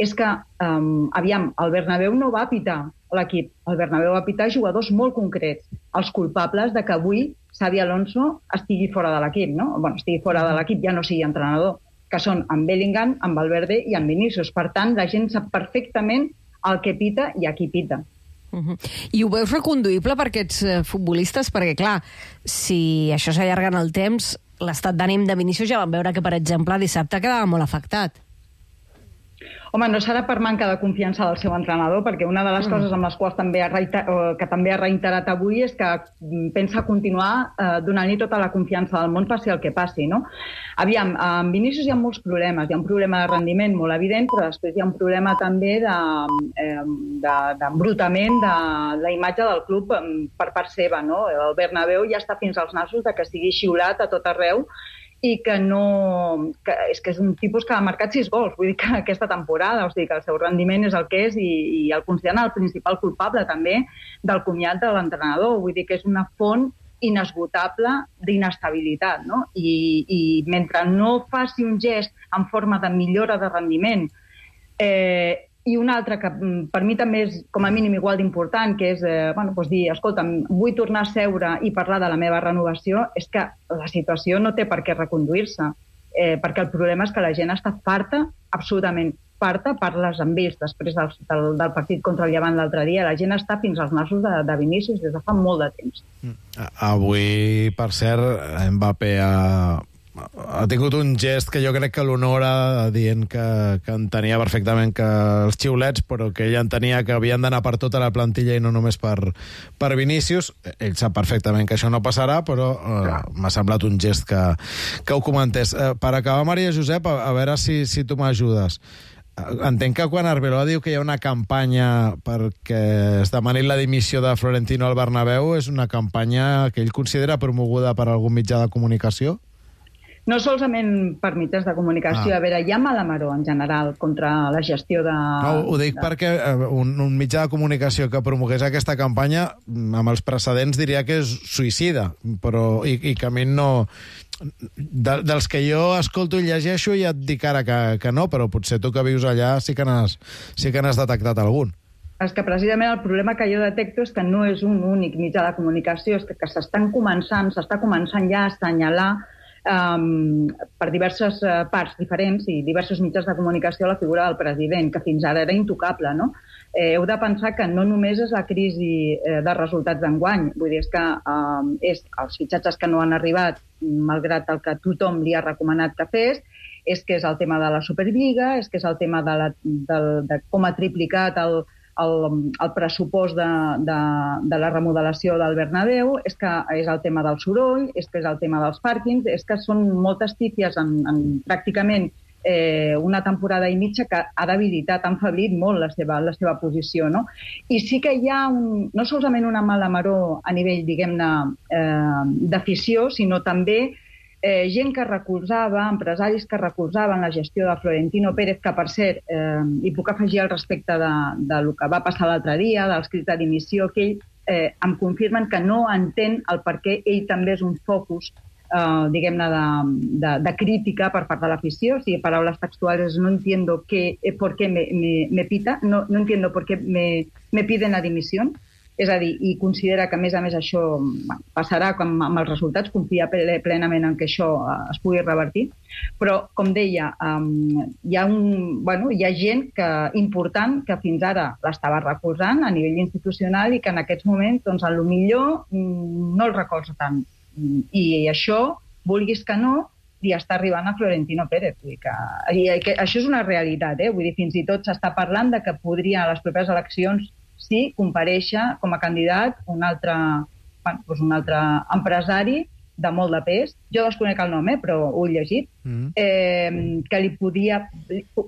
És que, um, aviam, el Bernabéu no va pitar l'equip. El Bernabéu va pitar jugadors molt concrets, els culpables de que avui Xabi Alonso estigui fora de l'equip, no? Bueno, estigui fora de l'equip, ja no sigui entrenador, que són en Bellingham, en Valverde i en Vinícius. Per tant, la gent sap perfectament el que pita i a qui pita. Uh-huh. I ho veus reconduïble per aquests uh, futbolistes? Perquè, clar, si això s'allarga en el temps, l'estat d'ànim de Vinícius ja vam veure que, per exemple, dissabte quedava molt afectat. Home, no serà per manca de confiança del seu entrenador, perquè una de les mm. coses amb les quals també ha reiterat, que també ha reiterat avui és que pensa continuar eh, donant-li tota la confiança del món, passi el que passi, no? Aviam, amb Vinícius hi ha molts problemes. Hi ha un problema de rendiment molt evident, però després hi ha un problema també d'embrutament de, de, de la imatge del club per part seva, no? El Bernabéu ja està fins als nassos de que sigui xiulat a tot arreu i que no... Que és que és un tipus que ha marcat sis gols, vull dir que aquesta temporada, o sigui que el seu rendiment és el que és i, i el consideren el principal culpable també del comiat de l'entrenador, vull dir que és una font inesgotable d'inestabilitat, no? I, i mentre no faci un gest en forma de millora de rendiment, eh, i un altre que per mi també és com a mínim igual d'important, que és eh, bueno, doncs dir, escolta, vull tornar a seure i parlar de la meva renovació, és que la situació no té per què reconduir-se, eh, perquè el problema és que la gent està farta, absolutament farta, parles amb ells després del, del, del partit contra el Llevant l'altre dia, la gent està fins als nassos de, de Vinícius des de fa molt de temps. Avui, per cert, Mbappé ha... ha tingut un gest que jo crec que l'honora, dient que, que entenia perfectament que els xiulets, però que ell entenia que havien d'anar per tota la plantilla i no només per, per Vinícius. Ell sap perfectament que això no passarà, però eh, m'ha semblat un gest que, que ho comentés. Eh, per acabar, Maria Josep, a, a veure si, si tu m'ajudes. Entenc que quan Arbeloa diu que hi ha una campanya perquè es demani la dimissió de Florentino al Bernabéu, és una campanya que ell considera promoguda per algun mitjà de comunicació? No solament per mitjans de comunicació, ah. a veure, hi ha mala maror en general contra la gestió de... No, ho dic de... perquè un, un mitjà de comunicació que promogués aquesta campanya, amb els precedents diria que és suïcida, però i, i que a mi no... De, dels que jo escolto i llegeixo ja et dic ara que, que no, però potser tu que vius allà sí que n'has sí que n'has detectat algun. És que precisament el problema que jo detecto és que no és un únic mitjà de comunicació, és que, que s'estan començant, s'està començant ja a assenyalar Um, per diverses uh, parts diferents i diversos mitjans de comunicació la figura del president, que fins ara era intocable, no? Eh, heu de pensar que no només és la crisi eh, de resultats d'enguany, vull dir, és que um, és els fitxatges que no han arribat, malgrat el que tothom li ha recomanat que fes, és que és el tema de la Superliga, és que és el tema de, la, de, de com ha triplicat el El, el pressupost de, de, de la remodelació del Bernabéu, és que és el tema del soroll, és que és el tema dels pàrquings, és que són moltes tífies en, en pràcticament eh, una temporada i mitja que ha debilitat, ha enfeblit molt la seva, la seva posició, no? I sí que hi ha un, no solament una mala maror a nivell, diguem-ne, eh, d'afició, sinó també Eh, gent que recolzava, empresaris que recolzaven la gestió de Florentino Pérez, que per cert, eh, hi puc afegir al respecte de, de lo que va passar l'altre dia, dels crits de dimissió, que ell eh, em confirmen que no entén el per què ell també és un focus, eh, diguem-ne, de, de, de crítica per part de l'afició. O sigui, paraules textuals, no entiendo que, eh, por qué me, me, me pita, no, no entiendo por qué me, me piden la dimisión. És a dir, i considera que, a més a més, això bueno, passarà com amb els resultats, confia plenament en que això es pugui revertir. Però, com deia, um, hi, ha un, bueno, hi ha gent que, important que fins ara l'estava recolzant a nivell institucional i que en aquests moments, doncs, a lo millor no el recolza tant. I això, vulguis que no, li està arribant a Florentino Pérez. Vull dir que, i, que això és una realitat, eh? Vull dir, fins i tot s'està parlant de que podria a les properes eleccions sí comparèixer com a candidat un altre, bueno, doncs un altre empresari de molt de pes, jo desconec el nom, eh, però ho he llegit, mm. eh, que li podia,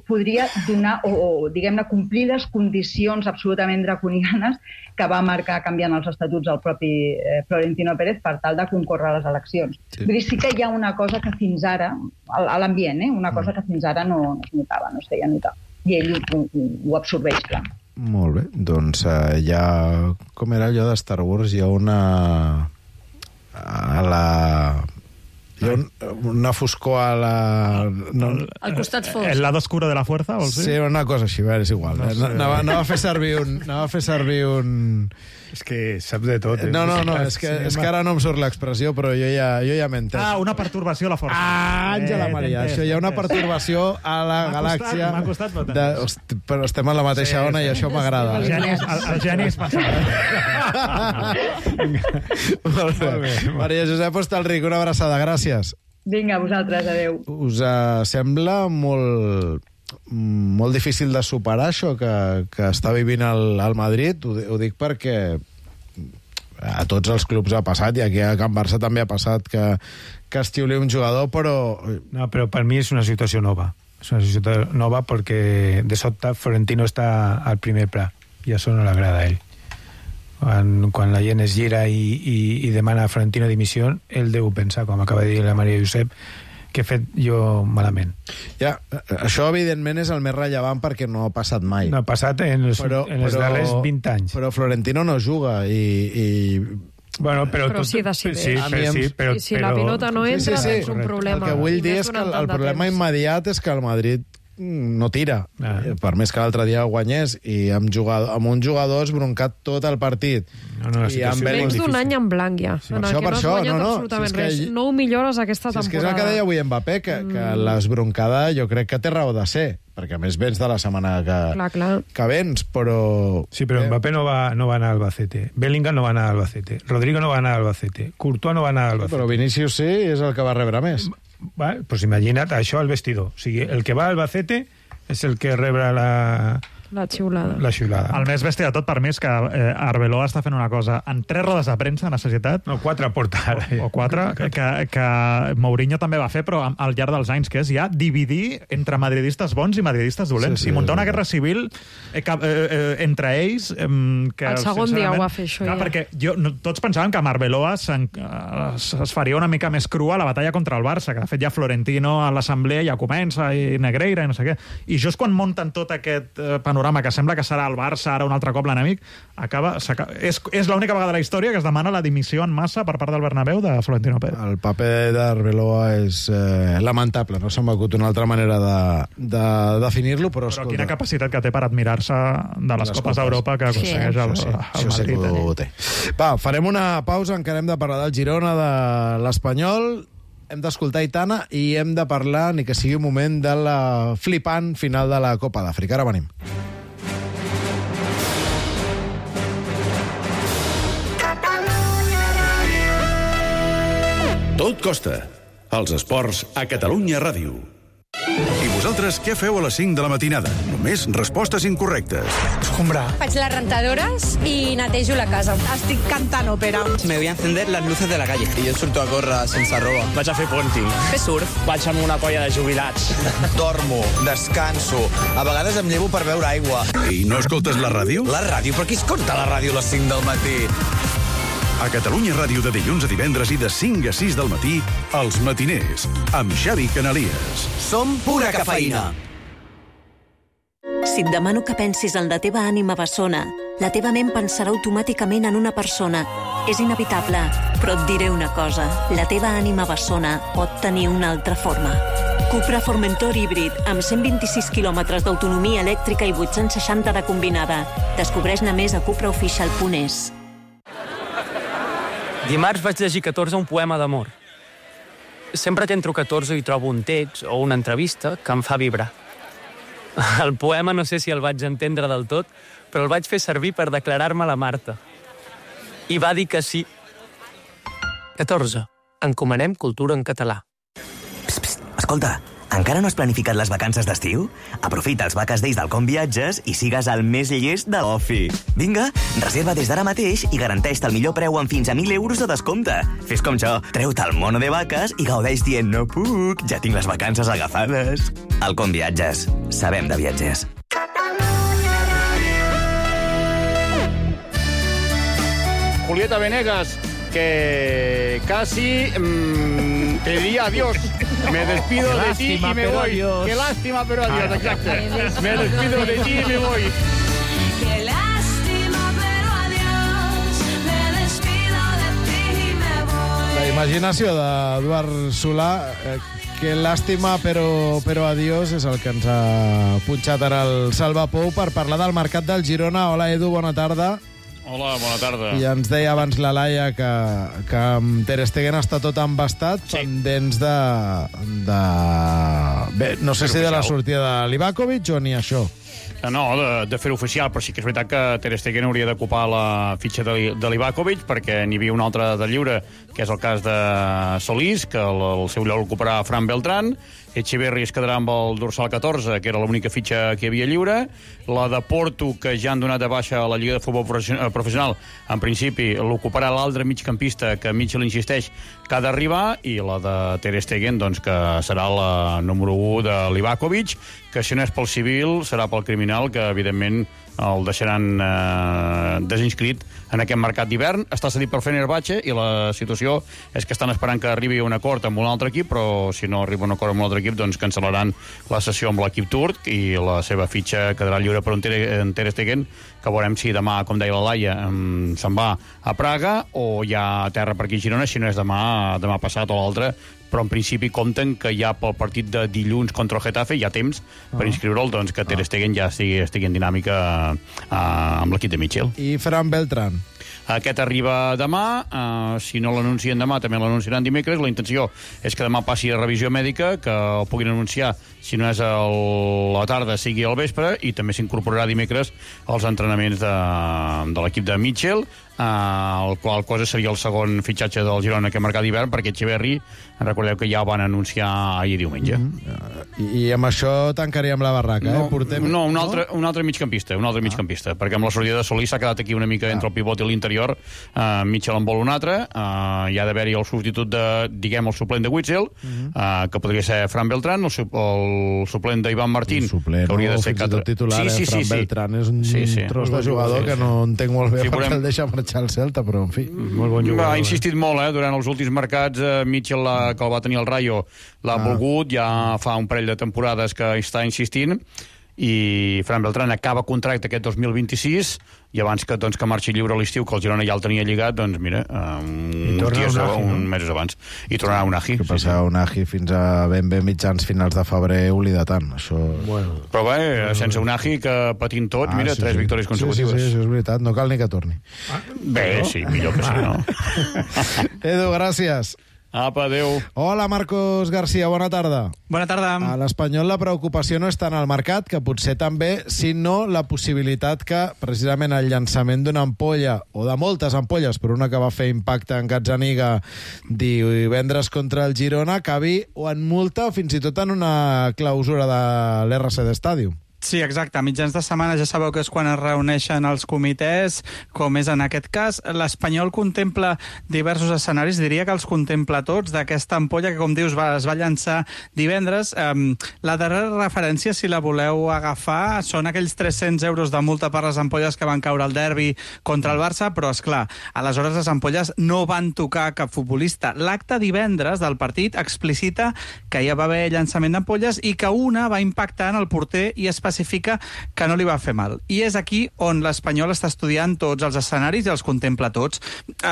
podria donar o, o diguem-ne, complir les condicions absolutament draconianes que va marcar canviant els estatuts del propi eh, Florentino Pérez per tal de concórrer a les eleccions. Sí. Vull dir, sí que hi ha una cosa que fins ara, a l'ambient, eh, una cosa que fins ara no, no es notava, no es feia notar. I ell ho, ho, ho absorbeix, clar. Molt bé, doncs uh, hi ha... Com era allò de Star Wars? Hi ha una... A la... Hi ha un, una foscor a la... No, al costat fosc. El lado oscuro de la fuerza, vols dir? Sí, una cosa així, és igual. No sé. Anava, anava a fer servir un... Anava a fer servir un... És que saps de tot. Eh? No, no, no, és que, és que ara no em surt l'expressió, però jo ja, jo ja m'he entès. Ah, una perturbació a la força. Ah, Àngela eh, Maria, això hi ha una perturbació a la galàxia. M'ha costat, m'ha de, hosti, però estem a la mateixa sí, ona sí. I això m'agrada. El geni, el, el geni és passat. Molt bé. Maria Josep Hostalric, una abraçada, gràcies. Vinga, vosaltres, adeu. Us uh, sembla molt... molt difícil de superar això que, que està vivint el, el Madrid, ho, ho dic perquè a tots els clubs ha passat, i aquí a Can Barça també ha passat que, que es xiuli un jugador, però... No, però per mi és una situació nova. És una situació nova perquè de sobte Florentino està al primer pla i això no l'agrada a ell. Quan, quan la gent es gira i, i, i demana a Florentino dimissió, ell deu pensar, com acaba de dir la Maria Josep, que he fet jo malament. Ja, això evidentment és el més rellevant perquè no ha passat mai. No ha passat en els, però, en els però, darrers vint anys. Però Florentino no juga i... i... Bueno, però, però tot, sí decideix. Sí, però, sí, però, I si però... la pilota no entra, sí, sí, sí. És un problema. El que vull dir és que el, el problema immediat és que el Madrid no tira. Ah. Per més que l'altre dia guanyés i amb, jugador, amb un jugador esbroncat tot el partit. No, no, I amb menys d'un any en blanc ja. Sí. Per això, per això, no, no. Absolutament si res. Que... No ho millores aquesta temporada. Si és que és el que deia avui Mbappé, que, mm. que l'esbroncada jo crec que té raó de ser, perquè a més vens de la setmana que, clar, clar. que vens, però... Sí, però Mbappé no va, no va anar al Albacete, Bellingham no va anar al Albacete, Rodrigo no va anar al Albacete, Courtois no va anar al Albacete. Però Vinícius sí, és el que va rebre més. Va, pues imagina't això al vestidor. O sigui, el que va al Albacete és el que rebre la... La xiulada. La xiulada. El més bèstia de tot per mi és que eh, Arbeloa està fent una cosa en tres rodes de premsa en la societat. No, quatre porta ara. O, o quatre, que, que Mourinho també va fer, però al llarg dels anys, que és ja dividir entre madridistes bons i madridistes dolents. Sí, sí, i muntar una guerra civil eh, que, eh, eh, entre ells... Eh, que, el segon dia ho va fer això, clar, ja. Perquè jo, no, tots pensàvem que amb Arbeloa es, es faria una mica més crua la batalla contra el Barça, que de fet ja Florentino a l'assemblea ja comença, i Negreira, i no sé què. I just quan munten tot aquest eh, panorama que sembla que serà el Barça, ara un altre cop l'enemic, acaba, acaba, és, és l'única vegada de la història que es demana la dimissió en massa per part del Bernabéu de Florentino Pérez. El paper d'Arbeloa és eh, lamentable, no s'ha m'acut una altra manera de, de definir-lo, però... Però quina capacitat que té per admirar-se de les, les Copes d'Europa que aconsegueix sí. el, sí, el sí, Madrid. Sí, va, farem una pausa, encara hem de parlar del Girona, de l'Espanyol, hem d'escoltar Aitana i hem de parlar, ni que sigui un moment, de la flipant final de la Copa d'Àfrica. Ara venim. Tot costa. Els esports a Catalunya Ràdio. I vosaltres què feu a les cinc de la matinada? Només respostes incorrectes. Escombrar. Faig les rentadores i netejo la casa. Estic cantant òpera. Me voy a encender las luces de la calle. I jo surto a córrer sense roba. Vaig a fer ponting. Fer surf. Vaig amb una colla de jubilats. Dormo, descanso. A vegades em llevo per beure aigua. I no escoltes la ràdio? La ràdio? Però qui escolta la ràdio a les cinc del matí? A Catalunya Ràdio de dilluns a divendres i de cinc a sis del matí, Els Matiners, amb Xavi Canalies. Som pura cafeïna. Si et demano que pensis en la teva ànima bessona, la teva ment pensarà automàticament en una persona. És inevitable, però et diré una cosa. La teva ànima bessona pot tenir una altra forma. Cupra Formentor híbrid, amb cent vint-i-sis quilòmetres d'autonomia elèctrica i vuit-cents seixanta de combinada. Descobreix-ne més a cupraoficial punt es. Dimarts vaig llegir catorze un poema d'amor. Sempre que entro catorze hi trobo un text o una entrevista que em fa vibrar. El poema no sé si el vaig entendre del tot, però el vaig fer servir per declarar-me a la Marta. I va dir que sí. catorze. Encomanem cultura en català. Psst, psst, escolta, encara no has planificat les vacances d'estiu? Aprofita els Vaques Days del Com Viatges i sigues el més llest de l'ofi. Vinga, reserva des d'ara mateix i garanteix-te el millor preu amb fins a mil euros de descompte. Fes com jo, treu-te el mono de vaques i gaudeix dient no puc, ja tinc les vacances agafades. El Com Viatges. Sabem de viatges. Julieta Venegas, que casi mmm, te diría adiós. Me despido de lástima, ti y me voy. Adiós. Qué lástima, pero adiós, exacto. Me despido de ti y me voy. imaginació d'Eduard Solà. Eh, que làstima, però, però adiós, és el que ens ha punxat ara el Salva Pou per parlar del mercat del Girona. Hola, Edu, bona tarda. Hola, bona tarda. I ens deia abans la Laia que, que amb Ter Stegen està tot embastat, sí. pendents de, de... Bé, no sé si de la sortida de Livakovic o ni això. No, de, de fer oficial, però sí que és veritat que Ter Stegen hauria d'ocupar la fitxa de, de Livakovic, perquè n'hi havia un altre de lliure, que és el cas de Solís, que el, el seu lloc l'ocuparà Fran Beltrán. Echeverri es quedarà amb el dorsal catorze, que era l'única fitxa que hi havia lliure. La de Porto, que ja han donat de baixa a la Lliga de Futbol Professional, en principi l'ocuparà l'altre migcampista, que Mitchell insisteix que ha d'arribar, i la de Ter Stegen, doncs, que serà la número u de Livakovic, que si no és pel civil, serà pel criminal, que evidentment el deixaran eh, desinscrit en aquest mercat d'hivern. Està cedit per Fenerbahçe i la situació és que estan esperant que arribi un acord amb un altre equip, però si no arriba un acord amb un altre equip, doncs cancel·laran la sessió amb l'equip turc i la seva fitxa quedarà lliure per un Ter, Ter Stegen, que veurem si demà, com deia la Laia, se'n va a Praga o hi ha terra per aquí a Girona, si no és demà, demà passat o l'altre, però en principi compten que ja pel partit de dilluns contra el Getafe hi ha temps ah. per inscriure'l, doncs que Ter Stegen ja estigui, estigui en dinàmica uh, amb l'equip de Mitchell. I Fran Beltrán? Aquest arriba demà, uh, si no l'anuncien demà també l'anunciaran dimecres. La intenció és que demà passi a revisió mèdica, que el puguin anunciar, si no és a la tarda, sigui al vespre, i també s'incorporarà dimecres als entrenaments de, de l'equip de Mitchell, Uh, el qual cosa seria el segon fitxatge del Girona que marcat d'hivern, perquè Echeverri, recordeu que ja ho van anunciar ahir diumenge. Mm -hmm. I, I amb això tancaríem la barraca, no, eh? Portem... No, un altre, un altre migcampista, un altre ah. migcampista, perquè amb la sortida de Solís s'ha quedat aquí una mica ah. entre el pivot i l'interior. Uh, Mitchell en vol un altre, uh, hi ha d'haver-hi el substitut de, diguem, el suplent de Witzel, mm -hmm. uh, que podria ser Fran Beltrán, el, su el suplent d'Ivan Martín, suplent, que hauria de ser... Fins i tot titular, sí, sí, eh? Fran sí, Beltrán sí. és un sí, sí. tros de jugador sí, sí. que no entenc molt bé sí, perquè volem... el deixa marxar al Celta, però en fi, molt bon jugador. Ha insistit molt, eh, durant els últims mercats. eh, Mitchell, la, que el va tenir el Rayo, l'ha ah. volgut, ja fa un parell de temporades que està insistint, i Fran Beltrán acaba contracte aquest dos mil vint-i-sis, i abans que, doncs, que marxi lliure a l'estiu, que el Girona ja el tenia lligat, doncs mira, um, uns dies, Unagi, un no? mesos abans, i tornarà Unagi. Que passarà sí, sí. Unagi fins a ben bé mitjans finals de febrer, oblida tant, això... Bueno. Però bé, bueno. sense Unagi, que patint tot, ah, mira, sí, tres sí. victòries consecutives. Sí, sí, sí, és veritat, no cal ni que torni. Ah, bé, no? sí, millor que sí, no? Edu, gràcies. Apa, adéu. Hola, Marcos García, bona tarda. Bona tarda. A l'Espanyol la preocupació no és tant al mercat, que potser també, sinó la possibilitat que precisament el llançament d'una ampolla, o de moltes ampolles, però una que va fer impacte en Gazzaniga divendres contra el Girona, acabi o en multa o fins i tot en una clausura de l'R C D Stadium. Sí, exacte. A mitjans de setmana ja sabeu que és quan es reuneixen els comitès, com és en aquest cas. L'Espanyol contempla diversos escenaris, diria que els contempla tots, d'aquesta ampolla que, com dius, va, es va llançar divendres. Um, la darrera referència, si la voleu agafar, són aquells tres-cents euros de multa per les ampolles que van caure al derbi contra el Barça, però, és clar, aleshores les ampolles no van tocar cap futbolista. L'acte divendres del partit explicita que ja va haver llançament d'ampolles i que una va impactar en el porter i especialment especifica que no li va fer mal. I és aquí on l'Espanyol està estudiant tots els escenaris i els contempla tots.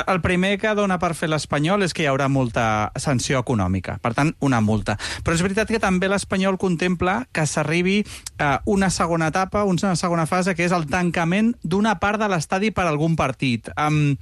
El primer que dona per fer l'Espanyol és que hi haurà molta sanció econòmica, per tant, una multa. Però és veritat que també l'Espanyol contempla que s'arribi a una segona etapa, una segona fase, que és el tancament d'una part de l'estadi per algun partit. Um,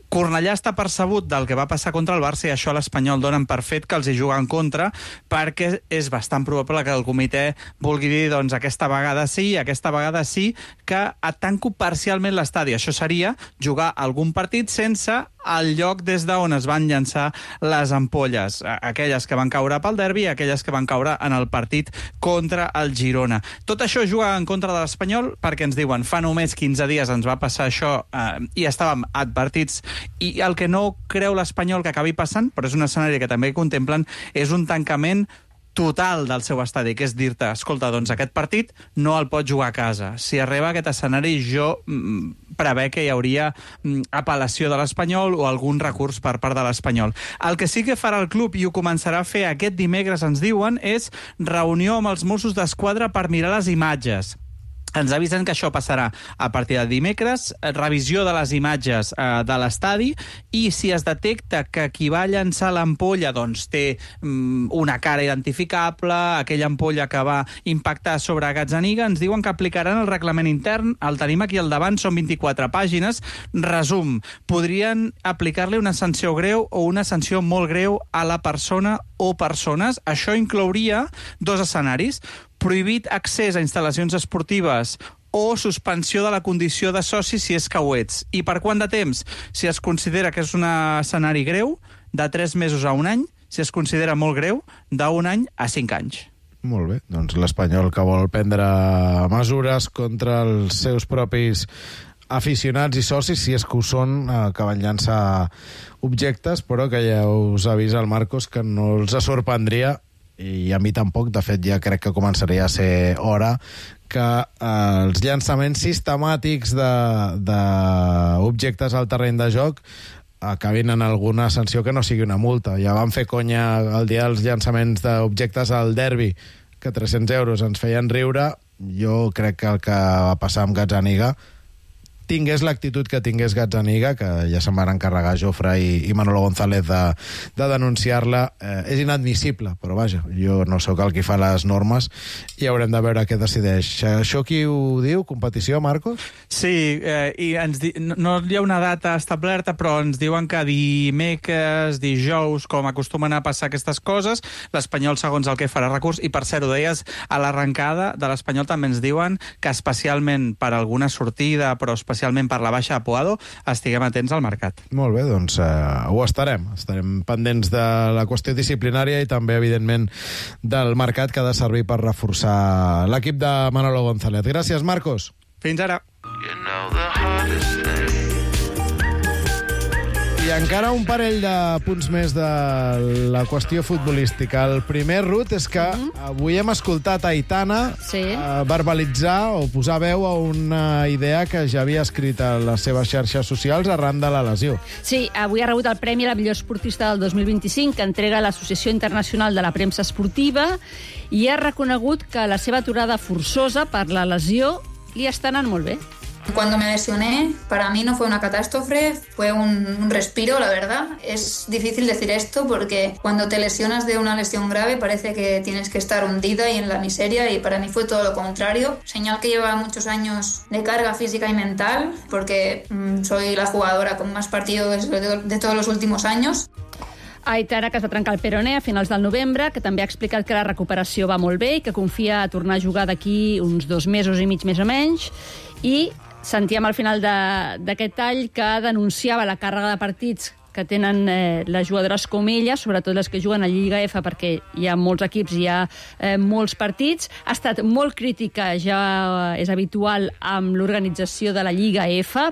Cornellà està percebut del que va passar contra el Barça i això l'Espanyol donen per fet que els hi juga en contra, perquè és bastant probable que el comitè vulgui dir, doncs, aquesta vegada sí, aquesta vegada sí, que tanco parcialment l'estadi. Això seria jugar algun partit sense el lloc des d'on es van llançar les ampolles, aquelles que van caure pel derbi i aquelles que van caure en el partit contra el Girona. Tot això juga en contra de l'Espanyol perquè ens diuen fa només quinze dies ens va passar això eh, i estàvem advertits, i el que no creu l'Espanyol que acabi passant, però és un escenari que també contemplen, és un tancament total del seu estadi, que és dir-te, escolta, doncs aquest partit no el pot jugar a casa. Si arriba a aquest escenari, jo mm, prevé que hi hauria mm, apel·lació de l'Espanyol o algun recurs per part de l'Espanyol. El que sí que farà el club, i ho començarà a fer aquest dimecres, ens diuen, és reunió amb els Mossos d'Esquadra per mirar les imatges. Ens avisen que això passarà a partir de dimecres, revisió de les imatges eh, de l'estadi, i si es detecta que qui va llançar l'ampolla doncs, té mm, una cara identificable, aquella ampolla que va impactar sobre Gazzaniga, ens diuen que aplicaran el reglament intern. El tenim aquí al davant, són vint-i-quatre pàgines. Resum, podrien aplicar-li una sanció greu o una sanció molt greu a la persona o persones. Això inclouria dos escenaris: prohibit accés a instal·lacions esportives o suspensió de la condició de soci si és que ho ets. I per quant de temps? Si es considera que és un escenari greu, de tres mesos a un any. Si es considera molt greu, d'un any a cinc anys. Molt bé, doncs l'Espanyol que vol prendre mesures contra els seus propis aficionats i socis, si és que ho són, eh, que van llançar objectes, però que ja us avisa el Marcos que no els sorprendria, i a mi tampoc. De fet, ja crec que començaria a ser hora que eh, els llançaments sistemàtics d'objectes al terreny de joc acabin en alguna sanció que no sigui una multa. Ja vam fer conya el dia dels llançaments d'objectes al derbi, que tres-cents euros ens feien riure. Jo crec que el que va passar amb Gazzaniga, tingués l'actitud que tingués Gazzaniga, que ja se'n van encarregar Jofre i, i Manolo González de, de denunciar-la, eh, és inadmissible, però vaja, jo no sóc el qui fa les normes i haurem de veure què decideix. Això qui ho diu? Competició, Marcos? Sí, eh, i ens di... no, no hi ha una data establerta, però ens diuen que dimecres, dijous, com acostumen a passar aquestes coses, l'Espanyol, segons el que farà recurs, i per cert, ho deies a l'arrencada de l'Espanyol, també ens diuen que especialment per alguna sortida, però especialment especialment per la baixa de Puado, estiguem atents al mercat. Molt bé, doncs eh, ho estarem. Estarem pendents de la qüestió disciplinària i també, evidentment, del mercat que ha de servir per reforçar l'equip de Manolo González. Gràcies, Marcos. Fins ara. I encara un parell de punts més de la qüestió futbolística. El primer, Ruth, és que avui hem escoltat a Aitana sí. eh, verbalitzar o posar veu a una idea que ja havia escrit a les seves xarxes socials arran de la lesió. Sí, avui ha rebut el premi a la millor esportista del dos mil vint-i-cinc que entrega l'Associació Internacional de la Premsa Esportiva i ha reconegut que la seva aturada forçosa per la lesió li està anant molt bé. Cuando me lesioné, para mí no fue una catástrofe, fue un, un respiro, la verdad. Es difícil decir esto porque cuando te lesionas de una lesión grave parece que tienes que estar hundida y en la miseria, y para mí fue todo lo contrario. Señal que lleva muchos años de carga física y mental, porque mmm, soy la jugadora con más partidos de, de todos los últimos años. Aitana, que es va trencar el peroné a finals del novembre, que també ha explicat que la recuperació va molt bé i que confia a tornar a jugar d'aquí uns dos mesos i mig més o menys, i sentíem al final d'aquest tall que denunciava la càrrega de partits que tenen eh, les jugadores com ella, sobretot les que juguen a Lliga F, perquè hi ha molts equips, hi ha eh, molts partits. Ha estat molt crítica, ja és habitual, amb l'organització de la Lliga F.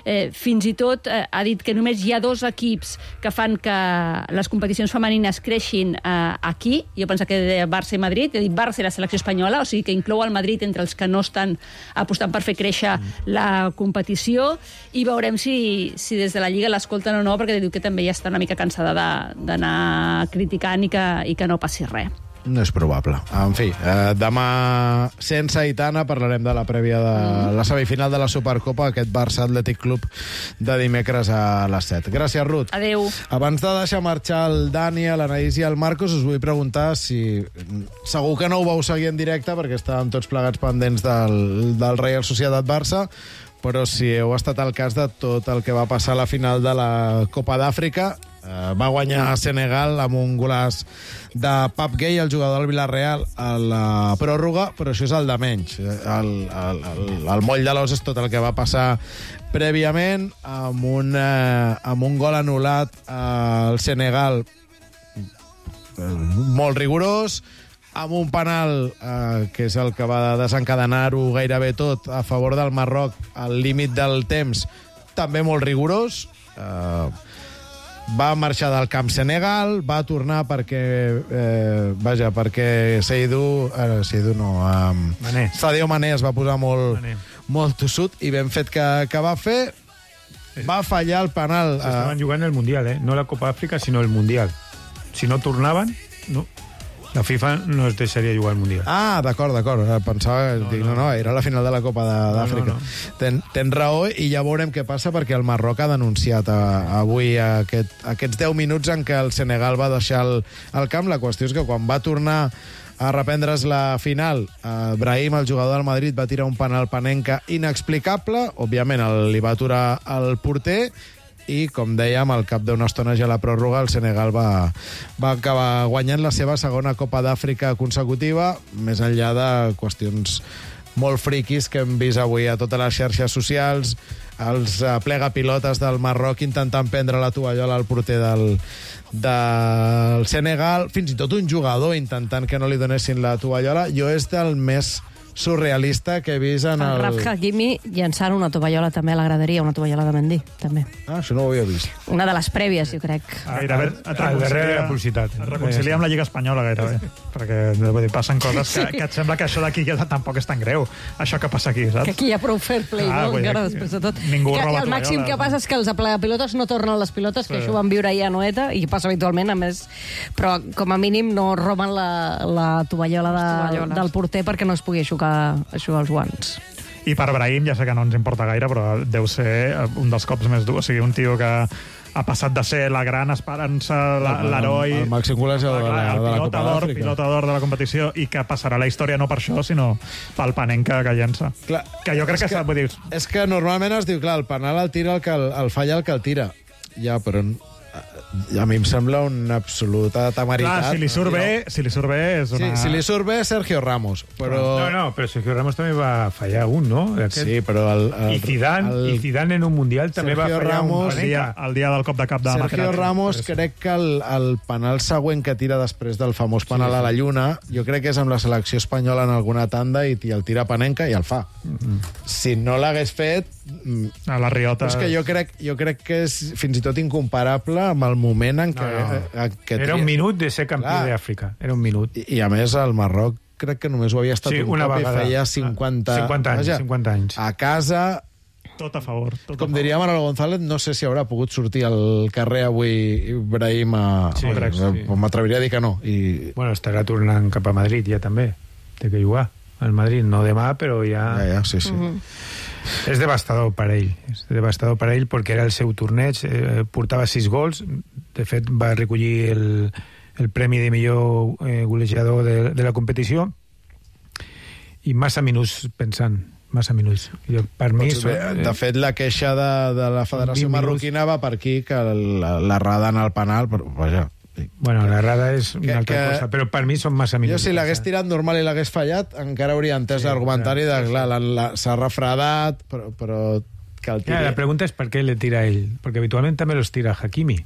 Eh, fins i tot eh, ha dit que només hi ha dos equips que fan que les competicions femenines creixin eh, aquí. Jo penso que de Barça i Madrid, he dit Barça i la selecció espanyola, o sigui que inclou el Madrid entre els que no estan apostant per fer créixer la competició, i veurem si, si des de la Lliga l'escolten o no, perquè diu que també ja està una mica cansada d'anar criticant i que, i que no passi res. No és probable. En fi, eh, demà, sense Aitana, parlarem de la prèvia de mm. la semifinal de la Supercopa, aquest Barça Atlètic Club de dimecres a les set. Gràcies, Ruth. Adéu. Abans de deixar marxar el Dani, l'Anaïs i el Marcos, us vull preguntar si... Segur que no ho vau seguir en directe, perquè estàvem tots plegats pendents del, del Real Societat Barça, però si heu estat al cas de tot el que va passar a la final de la Copa d'Àfrica, eh, va guanyar Senegal amb un golaç de Pap Gueye, el jugador del Villarreal, a la pròrroga, però això és el de menys. El, el, el, el moll de l'os és tot el que va passar prèviament, amb un, eh, amb un gol anul·lat al Senegal eh, molt rigorós, amb un penal, eh, que és el que va desencadenar-ho gairebé tot, a favor del Marroc, al límit del temps, també molt rigorós. Eh, va marxar del camp Senegal, va tornar perquè, eh, vaja, perquè Seydou, eh, Seydou no, eh, Mané. Sadio Mané es va posar molt, Mané. molt tossut, i ben fet que, que va fer, va fallar el penal. Estaven jugant el Mundial, eh? No la Copa d'Àfrica, sinó el Mundial. Si no tornaven, no... La FIFA no es deixaria jugar al Mundial. Ah, d'acord, d'acord. Pensava... No, dic, no, no, era la final de la Copa d'Àfrica. No, no, no. Ten, ten raó, i ja veurem què passa, perquè el Marroc ha denunciat a, a avui aquest, aquests deu minuts en què el Senegal va deixar el, el camp. La qüestió és que quan va tornar a reprendre's la final, eh, Brahim, el jugador del Madrid, va tirar un penal Panenka inexplicable. Òbviament, el, li va aturar el porter, i, com dèiem, al cap d'una estona ja a la pròrroga, el Senegal va, va acabar guanyant la seva segona Copa d'Àfrica consecutiva, més enllà de qüestions molt friquis que hem vist avui a totes les xarxes socials, els plegapilotes del Marroc intentant prendre la tovallola al porter del, del Senegal, fins i tot un jugador intentant que no li donessin la tovallola. Jo és del més surrealista que he vist en el... El Raf Hakimi llançant una tovallola també a la graderia, una tovallola de Mendy, també. Ah, això no ho havia vist. Una de les prèvies, jo crec. Ah, gairebé et reconcilia, la publicitat. Et reconcilia amb la Lliga Espanyola, gairebé. Perquè vull dir, passen coses que, que et sembla que això d'aquí ja tampoc és tan greu. Això que passa aquí, saps? Que aquí hi ha prou fair play, ah, no? Encara després de tot. Ningú que, roba el màxim que passa és que els pilotes no tornen les pilotes, que sí. Això ho van viure ja a Noeta, i passa habitualment, a més. Però, com a mínim, no roben la, la tovallola de, del porter perquè no es pugui aixucar, aixucar els guants. I per Brahim, ja sé que no ens importa gaire, però deu ser un dels cops més durs. O sigui, un tio que ha passat de ser la gran esperança, l'heroi, el màxim golejador de, la, el de la Copa d'Àfrica, pilota d'or de la competició, i que passarà a la història no per això, sinó pel Panenka que llença. Clar, que jo crec que, que vull dir... És que normalment es diu, clar, el penal el tira el que el, el falla el que el tira. Ja, però... a mi em sembla una absoluta temeritat. Clar, si li surt bé, si li surt bé és una... Sí, si li surt bé, Sergio Ramos, però... No, no, però Sergio Ramos també va fallar un, no? Aquest... Sí, però... El, el, I, Zidane, el... I Zidane en un Mundial també Sergio va fallar Ramos, un el dia, el dia del cop de cap de Sergio Materazzi. Ramos, crec que el, el penal següent que tira després del famós penal sí, sí. a la Lluna, jo crec que és amb la selecció espanyola en alguna tanda, i el tira Panenka i el fa. Mm-hmm. Si no l'hagués fet... A la riota... És que jo crec, jo crec que és fins i tot incomparable amb el moment en què... No, no. Que era un minut de ser campió d'Àfrica. Era un minut. I, I a més, el Marroc crec que només ho havia estat sí, un una cop vegada. I feia cinquanta... cinquanta anys, Vaja, cinquanta anys. A casa... Tot a favor. Tot com a diria Manolo González, no sé si haurà pogut sortir al carrer avui Brahim a... Sí, crec, sí. M'atreviria a dir que no. I... Bueno, estarà tornant cap a Madrid ja també. Té que jugar al Madrid, no demà, però ja... Ja, ja, sí, sí. Mm-hmm. És devastador per ell, és devastador per ell perquè era el seu torneig, eh, portava sis gols, de fet va recollir el, el premi de millor eh, golejador de, de la competició, i massa minuts pensant, massa minuts. Jo, per mi... Doncs, bé, de fet, la queixa de, de la Federació Marroquina va per aquí, que l'errada en el penal, però, vaja... Bueno, l'errada és una que, altra que, cosa, però per mi són massa minuts. Jo, si l'hagués tirat normal i l'hagués fallat, encara hauria entès sí, l'argumentari de, clar, s'ha refredat, però, però que el tiri... Ja, la pregunta és per què le tira ell, perquè habitualment també los tira Hakimi.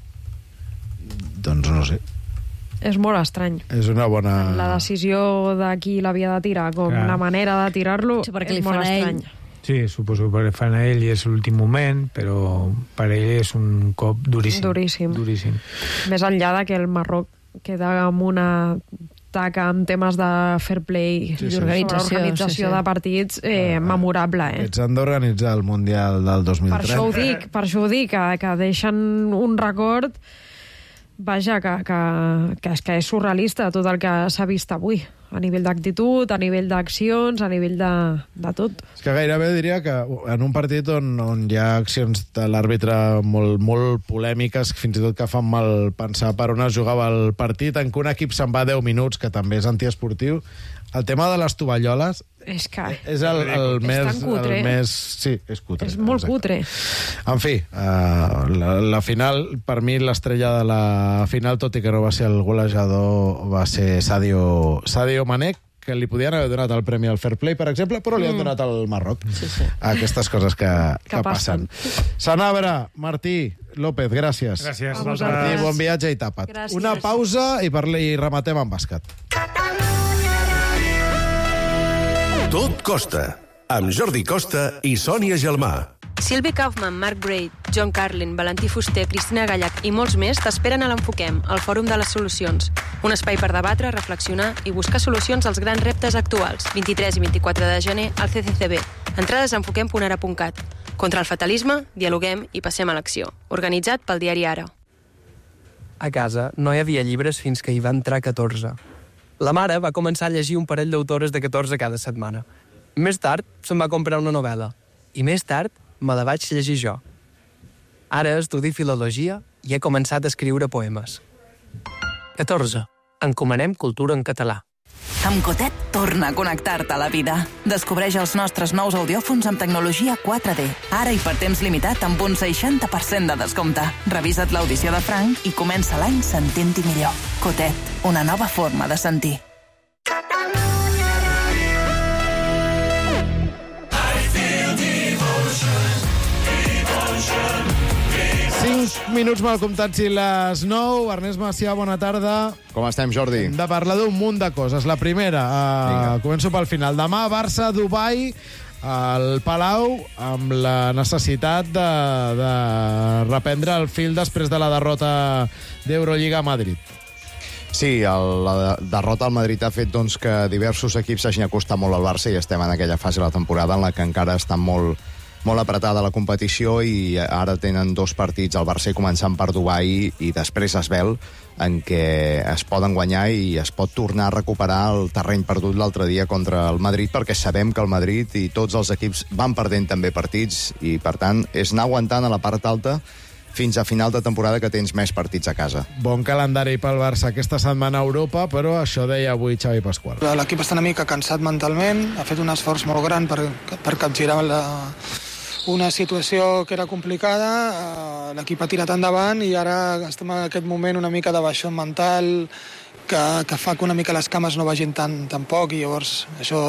Doncs no sé. És molt estrany. És una bona... La decisió de qui l'havia de tirar, com clar. La manera de tirar-lo, sí, és molt estrany. Sí, suposo que fan a ell i és l'últim moment, però per ell és un cop duríssim. Duríssim. Duríssim. Més enllà de que el Marroc queda amb una taca amb temes de fair play sí, sí. i organització, organització sí, sí. de partits eh, memorable. Eh? Aquests han d'organitzar el Mundial del dos mil trenta. Per això ho dic, per això ho dic que, que deixen un record vaja, que, que, que, és, que és surrealista tot el que s'ha vist avui. A nivell d'actitud, a nivell d'accions, a nivell de, de tot. És que gairebé diria que en un partit on, on hi ha accions de l'àrbitre molt, molt polèmiques, fins i tot que fan mal pensar per on es jugava el partit, en què un equip se'n va deu minuts, que també és antiesportiu, el tema de les tovalloles és, que és el, el, és més, tan cutre. el més... Sí, és cutre. És molt exacte. cutre. En fi, uh, la, la final, per mi l'estrella de la final, tot i que no va ser el golejador, va ser Sadio, Sadio Mané, que li podien haver donat el premi al Fair Play, per exemple, però li han donat al Marroc. Sí, sí. Aquestes coses que, que, que passen. Sanabra, Martí, López, gràcies. Gràcies. Martí, bon viatge i tapa't. Gràcies. Una pausa i, per, i rematem amb bàsquet. Tot costa, amb Jordi Costa i Sònia Gelmà. Sylvie Kaufman, Mark Braid, John Carlin, Valentí Fuster, Cristina Gallac i molts més t'esperen a l'Enfoquem, el Fòrum de les Solucions. Un espai per debatre, reflexionar i buscar solucions als grans reptes actuals. vint-i-tres i vint-i-quatre de gener al C C C B. Entrades a enfoquem punt ara punt cat. Contra el fatalisme, dialoguem i passem a l'acció. Organitzat pel diari Ara. A casa no hi havia llibres fins que hi va entrar catorze. La mare va començar a llegir un parell d'autores de catorze cada setmana. Més tard se'n va comprar una novel·la. I més tard me la vaig llegir jo. Ara estudio filologia i he començat a escriure poemes. catorze. Encomanem cultura en català. Amb Cotet torna a connectar-te a la vida. Descobreix els nostres nous audiòfons amb tecnologia quatre D. Ara i per temps limitat amb un seixanta per cent de descompte. Revisa't l'audició de Frank i comença l'any sentint-hi millor. Cotet, una nova forma de sentir. cinc minuts mal comptats i les nou. Ernest Macià, bona tarda. Com estem, Jordi? Hem de parlar d'un munt de coses. La primera, uh, començo pel final. Demà, Barça, Dubai, al Palau, amb la necessitat de, de reprendre el fil després de la derrota d'Eurolliga a Madrid. Sí, el, la derrota al Madrid ha fet doncs, que diversos equips s'hagin acostat molt al Barça i estem en aquella fase de la temporada en la que encara està molt, molt apretada la competició i ara tenen dos partits al Barça, començant per Dubai i després Asbel, en què es poden guanyar i es pot tornar a recuperar el terreny perdut l'altre dia contra el Madrid, perquè sabem que el Madrid i tots els equips van perdent també partits i, per tant, és anar aguantant a la part alta fins a final de temporada que tens més partits a casa. Bon calendari pel Barça aquesta setmana a Europa, però això deia avui Xavi Pasqual. L'equip està una mica cansat mentalment, ha fet un esforç molt gran per, per capgirar la, una situació que era complicada, l'equip ha tirat endavant i ara estem en aquest moment una mica de baixó mental que, que fa que una mica les cames no vagin tan, tan poc i llavors això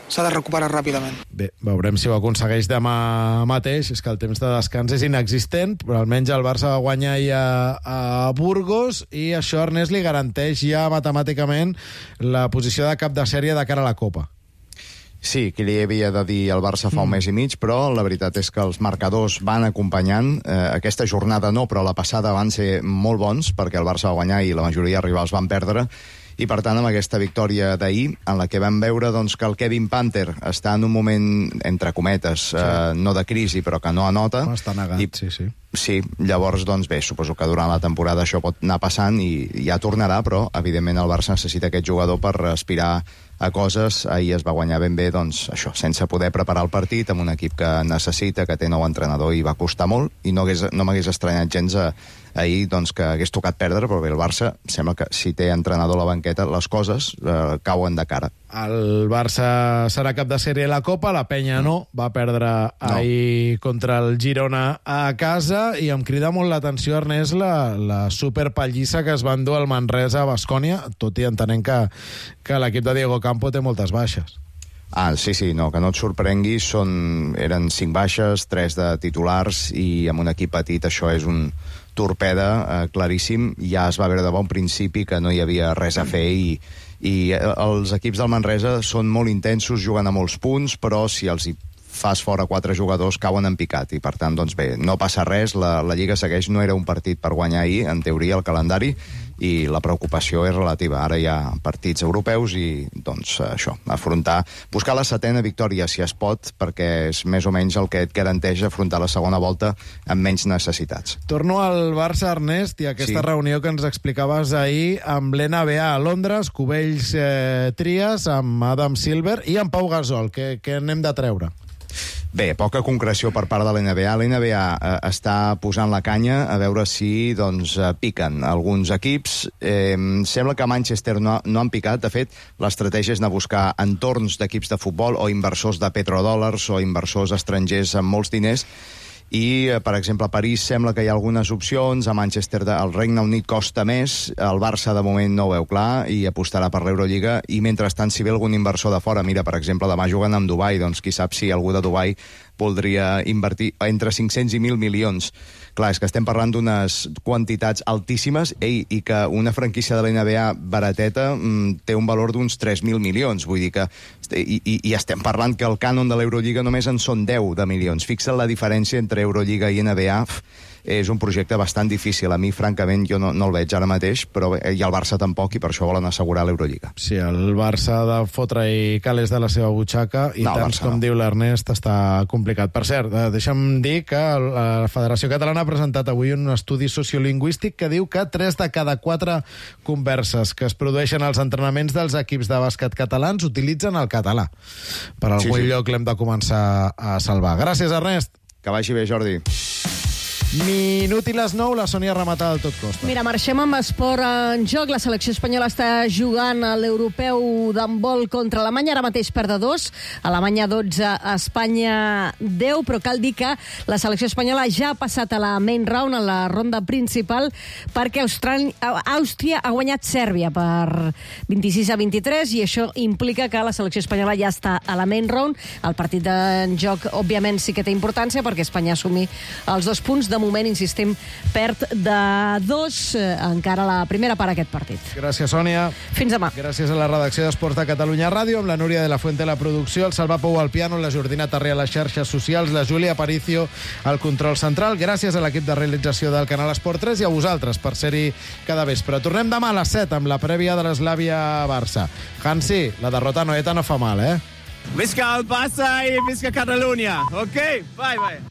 s'ha de recuperar ràpidament. Bé, veurem si ho aconsegueix demà mateix. És que el temps de descans és inexistent, però almenys el Barça va guanyar ja a Burgos i això, Ernest, li garanteix ja matemàticament la posició de cap de sèrie de cara a la Copa. Sí, que li havia de dir al Barça fa un mes i mig, però la veritat és que els marcadors van acompanyant. Eh, aquesta jornada no, però la passada van ser molt bons, perquè el Barça va guanyar i la majoria de rivals van perdre, i per tant amb aquesta victòria d'ahir, en la que vam veure doncs, que el Kevin Panther està en un moment, entre cometes, sí. eh, no de crisi, però que no anota. Està negat, i, sí, sí. Sí, llavors, doncs bé, suposo que durant la temporada això pot anar passant i ja tornarà, però evidentment el Barça necessita aquest jugador per aspirar a coses. Ahir es va guanyar ben bé, doncs, això, sense poder preparar el partit, amb un equip que necessita, que té nou entrenador i va costar molt, i no, hagués, no m'hagués estranyat gens a, ahir doncs, que hagués tocat perdre, però bé, el Barça sembla que si té entrenador a la banqueta, les coses eh, cauen de cara. El Barça serà cap de sèrie a la Copa, la Penya no, va perdre ahir no. contra el Girona a casa, i em crida molt l'atenció, Ernest, la, la superpallissa que es va endur al Manresa a Baskònia, tot i entenent que, que l'equip de Diego Campo té moltes baixes. Ah, sí, sí, no, que no et sorprengui, són, eren cinc baixes, tres de titulars, i amb un equip petit això és un torpeda eh, claríssim. Ja es va veure de bon principi que no hi havia res a fer, i, i els equips del Manresa són molt intensos, juguen a molts punts, però si els hi fas fora quatre jugadors, cauen en picat, i per tant, doncs bé, no passa res, la, la Lliga segueix, no era un partit per guanyar ahir, en teoria, el calendari, i la preocupació és relativa. Ara hi ha partits europeus i, doncs, això, afrontar, buscar la setena victòria, si es pot, perquè és més o menys el que et garanteix afrontar la segona volta amb menys necessitats. Torno al Barça, Ernest, i a aquesta sí. reunió que ens explicaves ahir amb l'N B A a Londres, Cubells eh, Trias, amb Adam Silver i amb Pau Gasol. Què, què n'hem de treure? Bé, poca concreció per part de l'N B A. L'N B A eh, està posant la canya a veure si doncs, eh, piquen alguns equips. Eh, sembla que a Manchester no, no han picat. De fet, l'estratègia és anar a buscar entorns d'equips de futbol o inversors de petrodòlars o inversors estrangers amb molts diners. I, per exemple, a París sembla que hi ha algunes opcions, a Manchester el Regne Unit costa més, el Barça de moment no ho veu clar i apostarà per l'Eurolliga, i mentrestant si ve algun inversor de fora, mira, per exemple, demà juguen amb Dubai, doncs qui sap si algú de Dubai voldria invertir entre cinc-cents i mil milions. Clar, és que estem parlant d'unes quantitats altíssimes, ei, i que una franquícia de l'N B A barateta mm, té un valor d'uns tres mil milions, vull dir que i, i, i estem parlant que el cànon de l'Eurolliga només en són deu de milions. Fixa't la diferència entre Eurolliga i N B A, és un projecte bastant difícil. A mi, francament, jo no, no el veig ara mateix, però i el Barça tampoc, i per això volen assegurar l'Eurolliga. Sí, el Barça de fotre-hi calés de la seva butxaca, i No, el tants Barça com no. diu l'Ernest, està complicat. Per cert, eh, deixa'm dir que la Federació Catalana ha presentat avui un estudi sociolingüístic que diu que tres de cada quatre converses que es produeixen als entrenaments dels equips de bàsquet catalans utilitzen el català. Per algun Sí, sí. lloc l'hem de començar a salvar. Gràcies, Ernest. Que vagi bé, Jordi. Minut i les nou, la Sònia rematada del tot costa. Mira, marxem amb esport en joc. La selecció espanyola està jugant a l'europeu d'handbol contra Alemanya. Ara mateix perd de dos. Alemanya dotze, Espanya deu, però cal dir que la selecció espanyola ja ha passat a la main round, a la ronda principal, perquè Austral... Àustria ha guanyat Sèrbia per vint-i-sis a vint-i-tres, i això implica que la selecció espanyola ja està a la main round. El partit en joc, òbviament, sí que té importància, perquè Espanya assumir els dos punts. De moment, insistim, perd de dos, eh, encara la primera part d'aquest partit. Gràcies, Sònia. Fins demà. Gràcies a la redacció d'Esports de Catalunya Ràdio, amb la Núria de la Fuente a la producció, el Salva Pou al piano, la Jordina Tarré a les xarxes socials, la Júlia Aparicio al control central. Gràcies a l'equip de realització del canal Esport tres i a vosaltres per ser-hi cada vespre. Tornem demà a les set amb la prèvia de l'Eslàvia Barça. Hansi, la derrota noeta no fa mal, eh? Visca el Barça i visca Catalunya. Ok? Bye, bye.